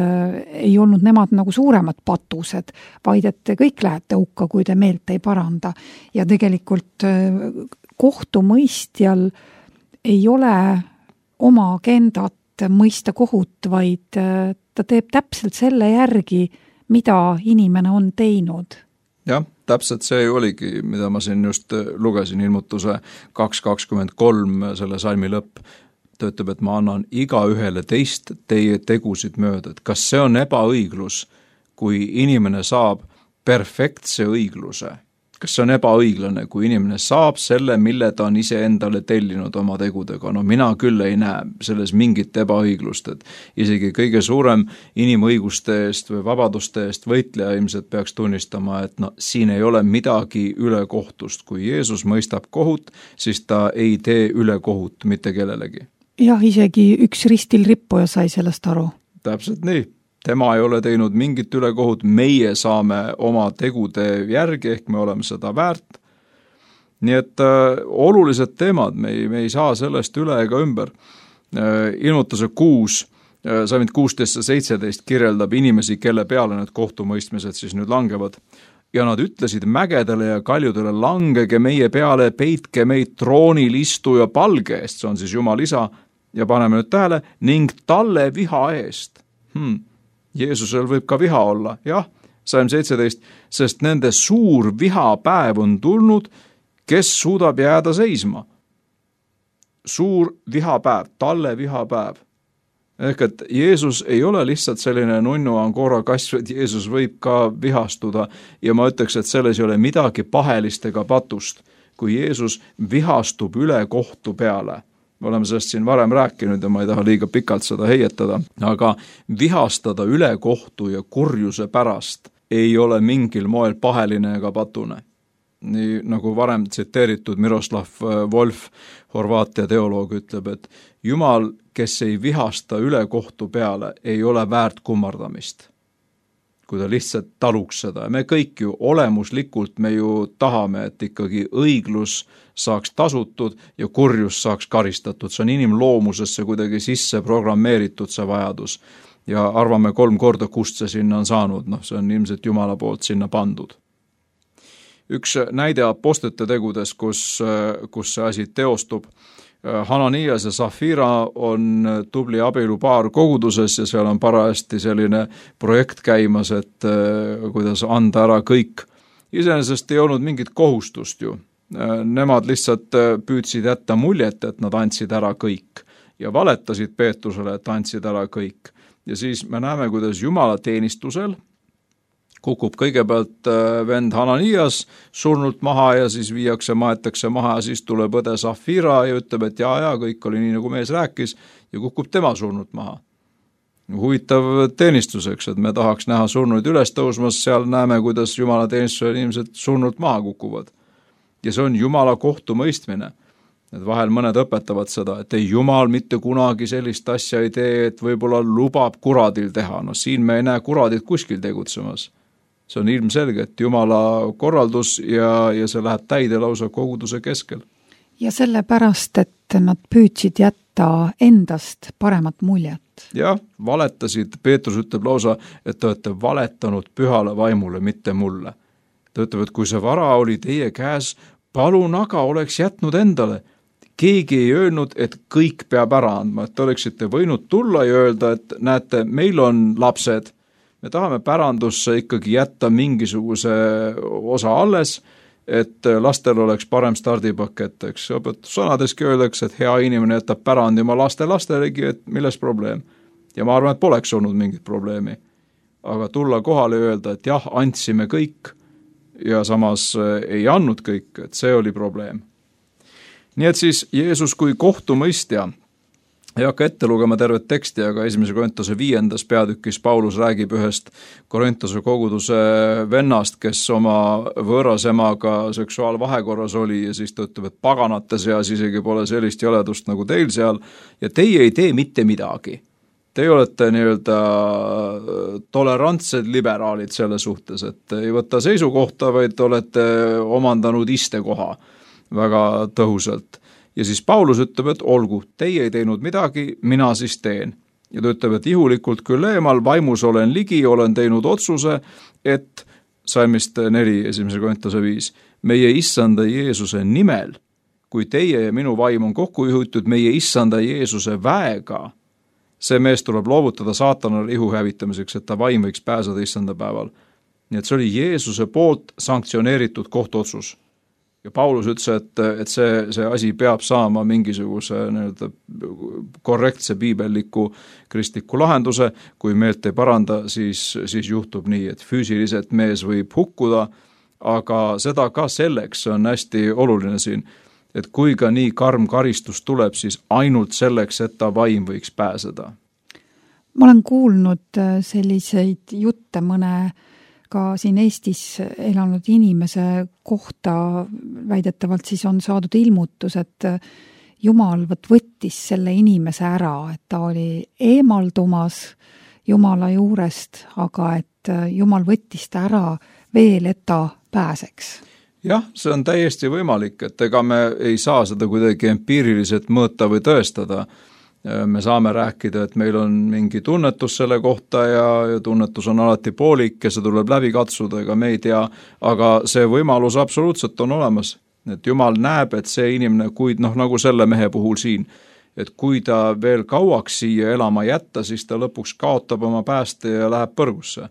ei olnud nemad nagu suuremad patused, vaid et te kõik lähete hukka, kui te meelt ei paranda. Ja tegelikult kohtumõistjal ei ole oma agendat mõista kohut, vaid ta teeb täpselt selle järgi, mida inimene on teinud. Jah, täpselt see oligi, mida ma siin just lugesin, ilmutuse 2.23, selle salmi lõpp. Ta ütleb, et ma annan iga ühele teist teie tegusid mööda. Et kas see on ebaõiglus, kui inimene saab perfektse õigluse? Kas see on ebaõiglane, kui inimene saab selle, mille ta on ise endale tellinud oma tegudega? No mina küll ei näe selles mingit ebaõiglust, et isegi kõige suurem inimõiguste eest või vabaduste eest võitleja ilmselt peaks tunnistama, et siin ei ole midagi ülekohtust. Kui Jeesus mõistab kohut, siis ta ei tee ülekohut mitte kellelegi. Jah, isegi üks ristil rippuja sai sellest aru. Täpselt nii. Tema ei ole teinud mingit ülekohut, meie saame oma tegude järgi, ehk me oleme seda väärt. Nii et olulised teemad, me ei saa sellest üle ega ümber. Ilmutuse 6, salmid 16-17 kirjeldab inimesi, kelle peale need kohtumõistmised siis nüüd langevad. Ja nad ütlesid mägedele ja kaljudele, langege meie peale, peitke meid troonil istuja palge eest, see on siis Jumal isa, ja paneme nüüd tähele, ning talle viha eest. Jeesusel võib ka viha olla, jah, salm 17, sest nende suur vihapäev on tulnud, kes suudab jääda seisma. Suur vihapäev, talle vihapäev. Ehk et Jeesus ei ole lihtsalt selline nunnu Angora kass, vaid Jeesus võib ka vihastuda ja ma ütleks, et selles ei ole midagi pahelist ega patust, kui Jeesus vihastub üle kohtu peale. Me oleme sellest siin varem rääkinud ja ma ei taha liiga pikalt seda heietada, aga vihastada üle kohtu ja kurjuse pärast ei ole mingil moel paheline ega patune. Nii nagu varem tsiteeritud Miroslav Volf, Horvaatia teoloog, ütleb, et Jumal, kes ei vihasta üle kohtu peale, ei ole väärt kummardamist. Kui ta lihtsalt taluks seda. Me kõik ju olemuslikult me ju tahame, et ikkagi õiglus saaks tasutud ja kurjus saaks karistatud. See on inimloomusesse kuidagi sisse programmeeritud see vajadus. Ja arvame 3 korda, kust see sinna on saanud. See on ilmselt Jumala poolt sinna pandud. Üks näide apostlite tegudes, kus see asi teostub. Hananias ja Safira on tubli abielupaar koguduses ja seal on parajasti selline projekt käimas, et kuidas anda ära kõik. Iseenesest ei olnud mingit kohustust ju. Nemad lihtsalt püüdsid jätta muljet, et nad andsid ära kõik ja valetasid Peetrusele, et andsid ära kõik. Ja siis me näeme, kuidas Jumala teenistusel kukub kõigepealt vend Hananias surnult maha ja siis maetakse maha ja siis tuleb õde Safira ja ütleb, et ja, kõik oli nii, nagu mees rääkis ja kukub tema surnult maha. Huvitav teenistuseks, et me tahaks näha surnuid üles tõusmas, seal näeme, kuidas Jumala teenistusel inimesed surnult maha kukuvad. Ja see on Jumala kohtumõistmine. Et vahel mõned õpetavad seda, et ei Jumal mitte kunagi sellist asja ei tee, et võib-olla lubab kuradil teha. Siin me ei näe kuradit kuskil tegutsemas. See on ilmselge, et Jumala korraldus ja see läheb täide lausa koguduse keskel. Ja sellepärast, et nad püüdsid jätta endast paremat muljet. Jah, valetasid, Peetrus ütleb lausa, et te olete valetanud pühale vaimule, mitte mulle. Ta ütleb, et kui see vara oli teie käes, palun aga oleks jätnud endale. Keegi ei öelnud, et kõik peab ära andma, et te oleksite võinud tulla ja öelda, et näete, meil on lapsed, me tahame pärandusse ikkagi jätta mingisuguse osa alles, et lastel oleks parem stardipakett, eks. Sõnadeski öeldakse, et hea inimene jätab pärandi oma lastelegi, et milles probleem. Ja ma arvan, et poleks olnud mingit probleemi. Aga tulla kohale ja öelda, et jah, andsime kõik ja samas ei andnud kõik, et see oli probleem. Nii et siis Jeesus kui kohtumõistja ei hakka ette lugema tervet teksti, aga 1. Korintuse 5. peatükis Paulus räägib ühest Korintuse koguduse vennast, kes oma võõras emaga seksuaalvahekorras oli ja siis ta ütleb, et paganate seas isegi pole sellist jäledust nagu teil seal ja teie ei tee mitte midagi. Teie olete nii-öelda tolerantsed liberaalid selle suhtes, et ei võta seisukohta, vaid olete omandanud istekoha väga tõhusalt. Ja siis Paulus ütleb, et olgu, teie ei teinud midagi, mina siis teen. Ja ta ütleb, et ihulikult küll eemal, vaimus olen ligi, olen teinud otsuse, et salmist 4, 1. Korintuse 5, meie issanda Jeesuse nimel, kui teie ja minu vaim on kokku juhitud meie issanda Jeesuse väega, see mees tuleb loovutada saatanale ihu hävitamiseks, et ta vaim võiks pääseda issanda päeval. Nii et see oli Jeesuse poolt sanktsioneeritud kohtuotsus. Ja Paulus ütles, et see asi peab saama mingisuguse korrektse piibelliku kristliku lahenduse, kui meelt ei paranda, siis juhtub nii, et füüsiliselt mees võib hukkuda, aga seda ka selleks on hästi oluline siin, et kui ka nii karm karistus tuleb, siis ainult selleks, et ta vaim võiks pääseda. Ma olen kuulnud selliseid jutte mõne ka siin Eestis elanud inimese kohta, väidetavalt siis on saadud ilmutus, et Jumal võttis selle inimese ära, et ta oli eemaldumas Jumala juurest, aga et Jumal võttis ta ära veel, et ta pääseks. Jah, see on täiesti võimalik, et ega me ei saa seda kuidagi empiiriliselt mõõta või tõestada. Me saame rääkida, et meil on mingi tunnetus selle kohta ja tunnetus on alati poolik ja see tuleb läbi katsuda, ega me ei tea, aga see võimalus absoluutselt on olemas. Et Jumal näeb, et see inimene, kui nagu selle mehe puhul siin, et kui ta veel kauaks siia elama jätta, siis ta lõpuks kaotab oma pääste ja läheb põrgusse.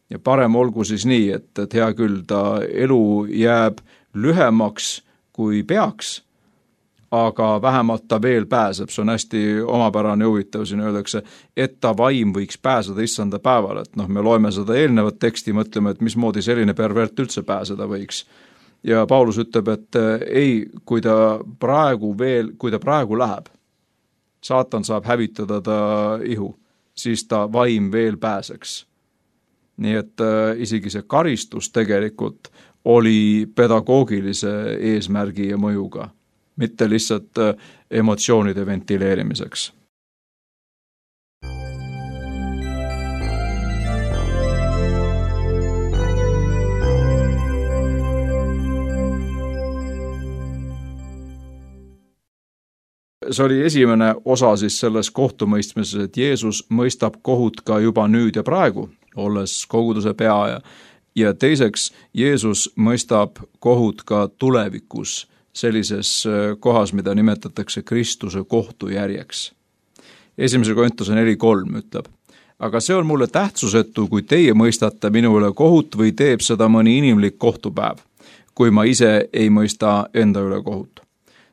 Ja parem olgu siis nii, et hea küll, ta elu jääb lühemaks kui peaks, aga vähemalt ta veel pääseb, see on hästi omapärane huvitav, siin öeldakse, et ta vaim võiks pääseda issanda päeval, et me loeme seda eelnevat teksti, mõtleme, et mismoodi selline pervert üldse pääseda võiks. Ja Paulus ütleb, et ei, kui ta praegu läheb, saatan saab hävitada ta ihu, siis ta vaim veel pääseks. Nii et isegi see karistus tegelikult oli pedagoogilise eesmärgi ja mõjuga, mitte lihtsalt emotsioonide ventileerimiseks. See oli esimene osa siis selles kohtumõistmises, et Jeesus mõistab kohut ka juba nüüd ja praegu, olles koguduse pea ja teiseks, Jeesus mõistab kohut ka tulevikus, sellises kohas, mida nimetatakse Kristuse kohtujärjeks. 1. Korintuse 4.3 ütleb, aga see on mulle tähtsusetu, kui teie mõistate minu üle kohut või teeb seda mõni inimlik kohtupäev, kui ma ise ei mõista enda üle kohut.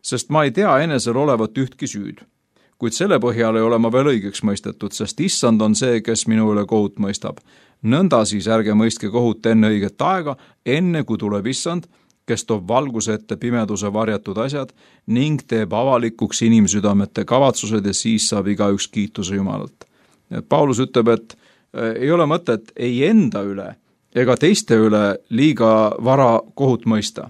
Sest ma ei tea enesel olevat ühtki süüd, kuid selle põhjal ei ole ma veel õigeks mõistetud, sest issand on see, kes minu üle kohut mõistab. Nõnda siis ärge mõistke kohut enne õiget aega, enne kui tuleb issand, kes toob valguse ette pimeduse varjatud asjad ning teeb avalikuks inimsüdamete kavatsused ja siis saab igaüks kiituse Jumalalt. Paulus ütleb, et ei ole mõtet ei enda üle ega teiste üle liiga vara kohut mõista.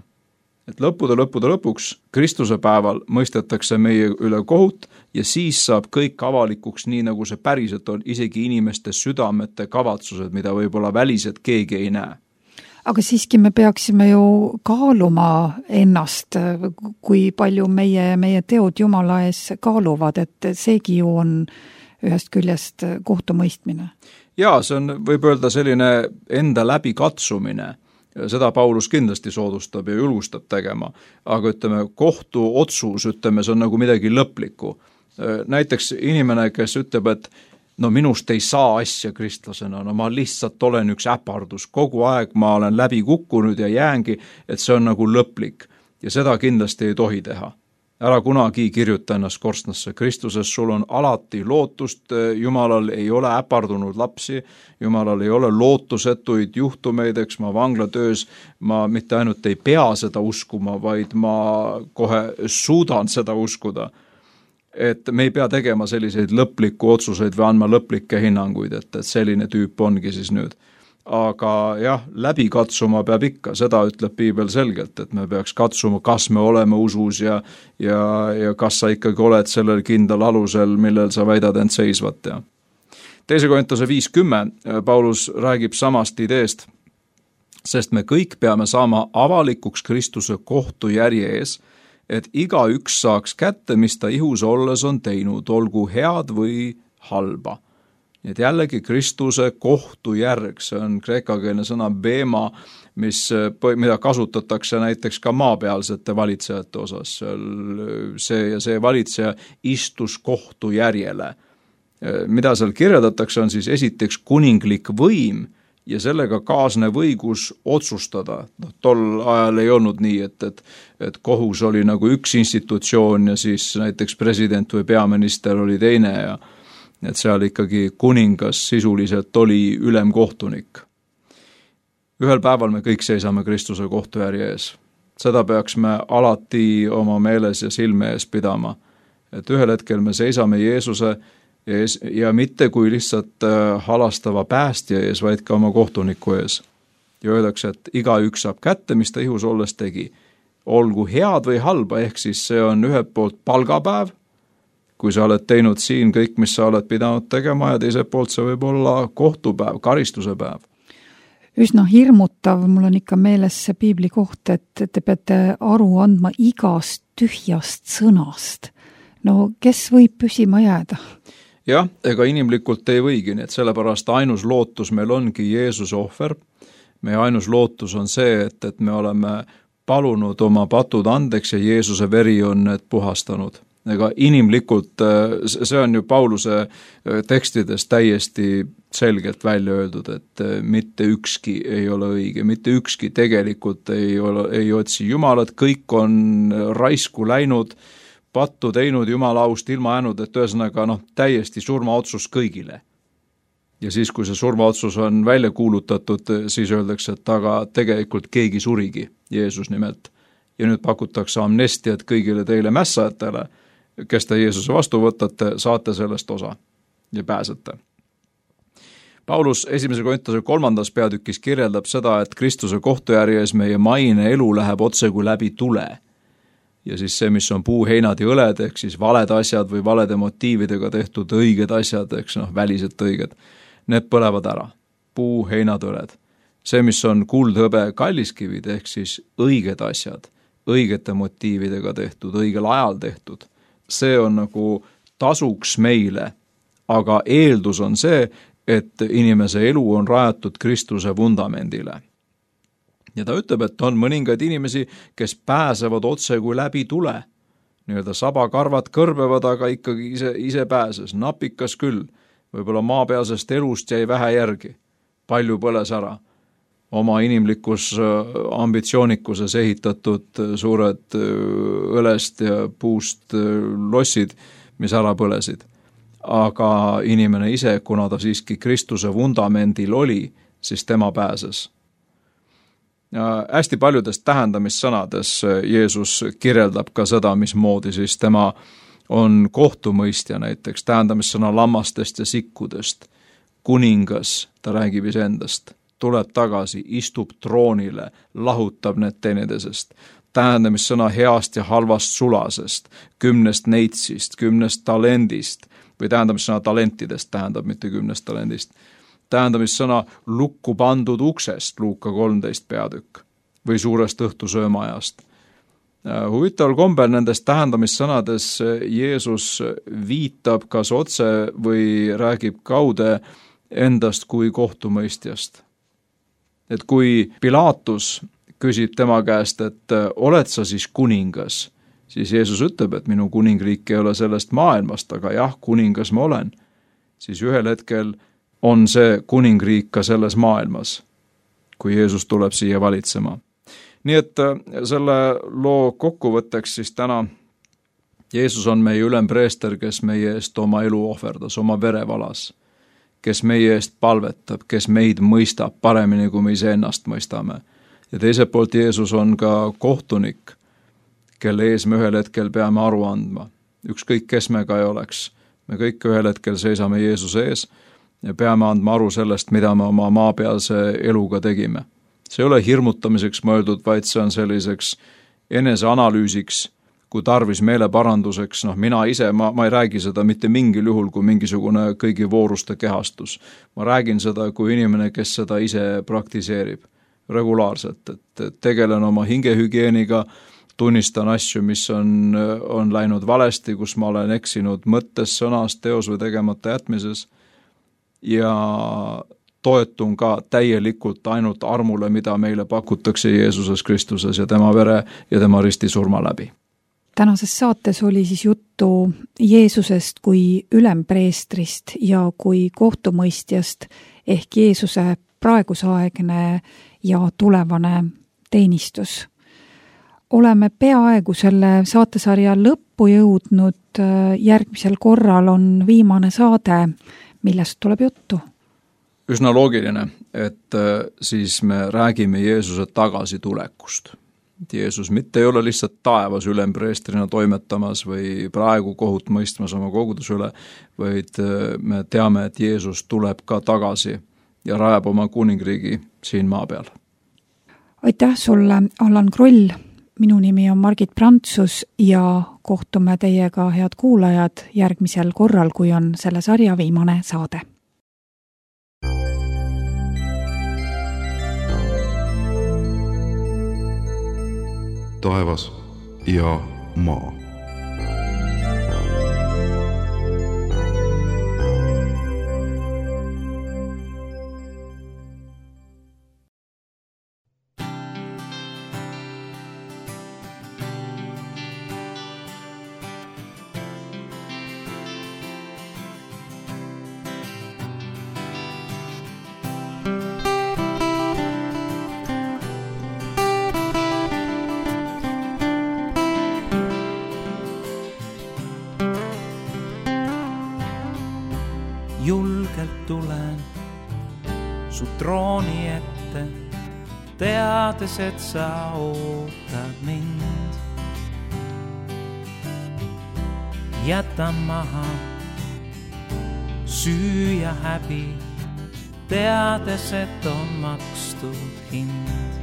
Et lõppude lõpuks Kristuse päeval mõistetakse meie üle kohut ja siis saab kõik avalikuks nii, nagu see päriselt on, isegi inimeste südamete kavatsused, mida võib-olla väliselt keegi ei näe. Aga siiski me peaksime ju kaaluma ennast, kui palju meie teod Jumala ees kaaluvad, et seegi ju on ühest küljest kohtumõistmine. Jaa, see on, võib öelda, selline enda läbi katsumine. Seda Paulus kindlasti soodustab ja julgustab tegema, aga ütleme, kohtuotsus, ütleme, see on nagu midagi lõplikku. Näiteks inimene, kes ütleb, et minust ei saa asja kristlasena, ma lihtsalt olen üks äpardus, kogu aeg ma olen läbi kukkunud ja jäängi, et see on nagu lõplik ja seda kindlasti ei tohi teha. Ära kunagi kirjuta ennast korstnasse, Kristuses sul on alati lootust, Jumalal ei ole äpardunud lapsi, Jumalal ei ole lootusetuid juhtumeid, eks ma vanglatöös, ma mitte ainult ei pea seda uskuma, vaid ma kohe suudan seda uskuda. et me ei pea tegema selliseid lõplikku otsuseid või andma lõplikke hinnanguid, et selline tüüp ongi siis nüüd. Aga jah, läbi katsuma peab ikka, seda ütleb piibel selgelt, et me peaks katsuma, kas me oleme usus ja kas sa ikkagi oled sellel kindlal alusel, millel sa väidad end seisvat. Ja 2. Korintuse 5:10 Paulus räägib samast ideest, sest me kõik peame saama avalikuks Kristuse kohtujärje ees, et igaüks saaks kätte, mis ta ihus olles on teinud, olgu head või halba. Nii et jällegi Kristuse kohtujärg, see on kreekakeelne sõna bema, mida kasutatakse näiteks ka maapealsete valitsejate osas. See ja see valitseja istus kohtujärjele. Mida seal kirjeldatakse, on siis esiteks kuninglik võim ja sellega kaasnev õigus otsustada. Tol ajal ei olnud nii, et kohus oli nagu üks institutsioon ja siis näiteks president või peaminister oli teine ja et seal ikkagi kuningas sisuliselt oli ülemkohtunik. Ühel päeval me kõik seisame Kristuse kohtujärje ees. Seda peaks me alati oma meeles ja silme ees pidama. Et ühel hetkel me seisame Jeesuse ees ja mitte kui lihtsalt halastava päästja ees, vaid ka oma kohtuniku ees. Ja öeldakse, et igaüks saab kätte, mis ta ihus olles tegi. Olgu head või halba, ehk siis see on ühelt poolt palgapäev, kui sa oled teinud siin kõik, mis sa oled pidanud tegema ja teiselt poolt see võib olla kohtupäev, karistuse päev. Üsna hirmutav, mul on ikka meeles see piibli koht, et te peate aru andma igast tühjast sõnast. No kes võib püsima jääda? Jah, ega inimlikult ei võigi, nii et sellepärast ainus lootus meil ongi Jeesuse ohver. Meie ainus lootus on see, et me oleme palunud oma patud andeks ja Jeesuse veri on need puhastanud. Ega inimlikult, see on ju Pauluse tekstides täiesti selgelt välja öeldud, et mitte ükski ei ole õige, mitte ükski tegelikult ei otsi Jumalat, kõik on raisku läinud, pattu teinud, Jumala aust ilma jäänud, et ühesõnaga täiesti surmaotsus kõigile. Ja siis, kui see surmaotsus on välja kuulutatud, siis öeldakse, et aga tegelikult keegi surigi, Jeesus nimelt. Ja nüüd pakutakse amnestiat kõigile teile mässajatele, kes te Jeesuse vastu võtate, saate sellest osa ja pääsete. Paulus 1. Korintuse 3. peatükis kirjeldab seda, et Kristuse kohtujärjes meie maine elu läheb otse kui läbi tule. Ja siis see, mis on puu, heinad ja õled, ehk siis valed asjad või valede motiividega tehtud õiged asjad, ehk väliselt õiged, need põlevad ära. Puu, heinad, õled. See, mis on kuld, hõbe, kalliskivid, ehk siis õiged asjad, õigete motiividega tehtud, õigel ajal tehtud. See on nagu tasuks meile, aga eeldus on see, et inimese elu on rajatud Kristuse vundamendile. Ja ta ütleb, et on mõningaid inimesi, kes pääsevad otse kui läbi tule. Nii-öelda sabakarvad kõrbevad, aga ikkagi ise pääses. Napikas küll, võib-olla maapealsest elust jäi vähe järgi. Palju põles ära. Oma inimlikus ambitsioonikuses ehitatud suured õlest ja puust lossid, mis ära põlesid. Aga inimene ise, kuna ta siiski Kristuse vundamendil oli, siis tema pääses. Ja hästi paljudes tähendamissõnades Jeesus kirjeldab ka seda, mismoodi siis tema on kohtumõistja, näiteks tähendamissõna lammastest ja sikkudest. Kuningas, ta räägib iseendast, tuleb tagasi, istub troonile, lahutab need teineteisest. Tähendamissõna heast ja halvast sulasest, 10 neitsist, 10 talendist, või tähendamissõna talentidest tähendab, mitte 10 talendist. Tähendamissõna lukku pandud uksest, Luuka 13 peatükk, või suurest õhtusöömaajast. Huvitaval kombel nendes tähendamissõnades Jeesus viitab kas otse või räägib kaude endast kui kohtumõistjast. Et kui Pilatus küsib tema käest, et oled sa siis kuningas, siis Jeesus ütleb, et minu kuningriik ei ole sellest maailmast, aga jah, kuningas ma olen. Siis ühel hetkel on see kuningriik ka selles maailmas, kui Jeesus tuleb siia valitsema. Nii et selle loo kokkuvõtteks siis täna Jeesus on meie ülempreester, kes meie eest oma elu ohverdas, oma vere valas, kes meie eest palvetab, kes meid mõistab paremini, kui me ise ennast mõistame. Ja teiselt poolt Jeesus on ka kohtunik, kelle ees me ühel hetkel peame aru andma. ükskõik kes me ka ei oleks. Me kõik ühel hetkel seisame Jeesuse ees ja peame andma aru sellest, mida me oma maapealse eluga tegime. See ei ole hirmutamiseks mõeldud, vaid see on selliseks eneseanalüüsiks, kui tarvis meeleparanduseks. Mina ise, ma ei räägi seda mitte mingil juhul kui mingisugune kõigi vooruste kehastus. Ma räägin seda kui inimene, kes seda ise praktiseerib regulaarselt, et tegelen oma hingehügieeniga, tunnistan asju, mis on läinud valesti, kus ma olen eksinud mõttes, sõnas, teos või tegemata jätmises ja toetun ka täielikult ainult armule, mida meile pakutakse Jeesuses Kristuses ja tema vere ja tema ristisurma läbi. Tänases saates oli siis juttu Jeesusest kui ülempreestrist ja kui kohtumõistjast ehk Jeesuse praegusaegne ja tulevane teenistus. Oleme peaaegu selle saatesarja lõppu jõudnud, järgmisel korral on viimane saade, millest tuleb juttu. Üsna loogiline, et siis me räägime Jeesuse tagasitulekust. Jeesus mitte ei ole lihtsalt taevas ülempreestrina toimetamas või praegu kohut mõistmas oma koguduse üle, vaid me teame, et Jeesus tuleb ka tagasi ja rajab oma kuningriigi siin maa peal. Aitäh sulle, Allan Kroll! Minu nimi on Margit Prantsus ja kohtume teiega, head kuulajad, järgmisel korral, kui on selle sarja viimane saade. Taevas ja maa. Julgelt tulen su trooni ette, teades, et sa ootad mind. Jätan maha süü ja häbi, teades, et on makstud hind.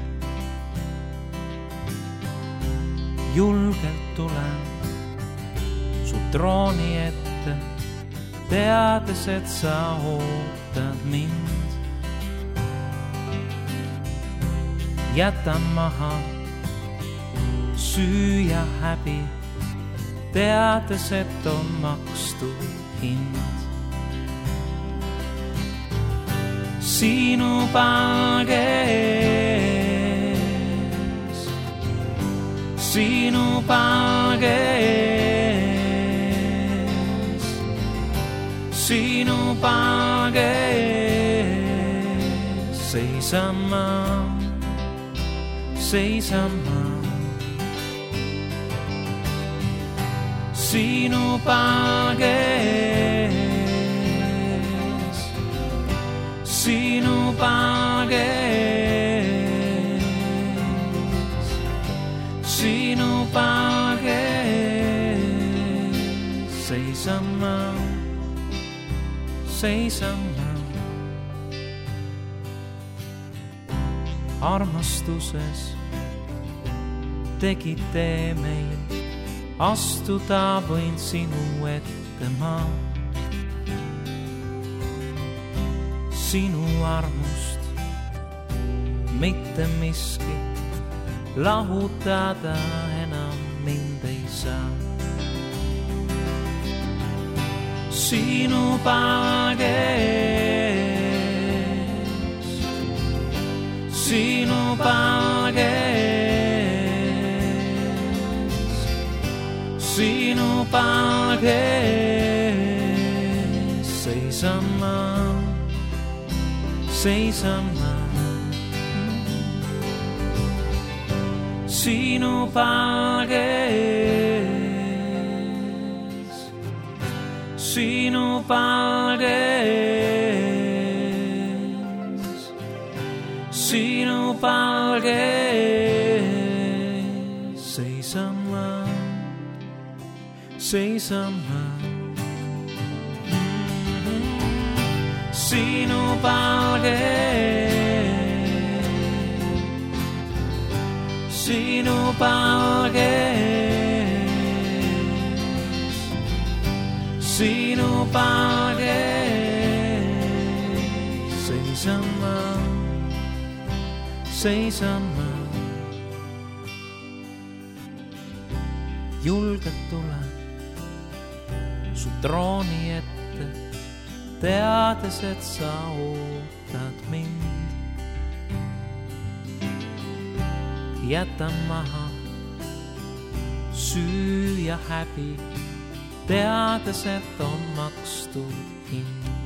Julgelt tulen su trooni ette, teades, et sa ootad mind. Jätan maha süü ja häbi, teades, et on makstud hind. Sinu palge ees, sinu palge ees, sinu palge ees seisan ma, seisan ma. Sinu palge ees, sinu palge ees, sinu palge ees seisan ma, seisan ma. Armastuses tegid tee meil, astuda võin sinu ette ma. Sinu armust mitte miski lahutada enam mind ei saa. Sinu palge ees, sinu palge ees, sinu palge ees seisan ma, seisan ma. Sinu palge ees, sinu palge ees, sinu palge ees seisan ma, seisama sinu palges, sinu palges, sinu palges seisama, seisama. Julgelt tule su trooni ette, teades, et sa ootad mind. Jätan maha süü ja häbi, teades, et on makstud hind.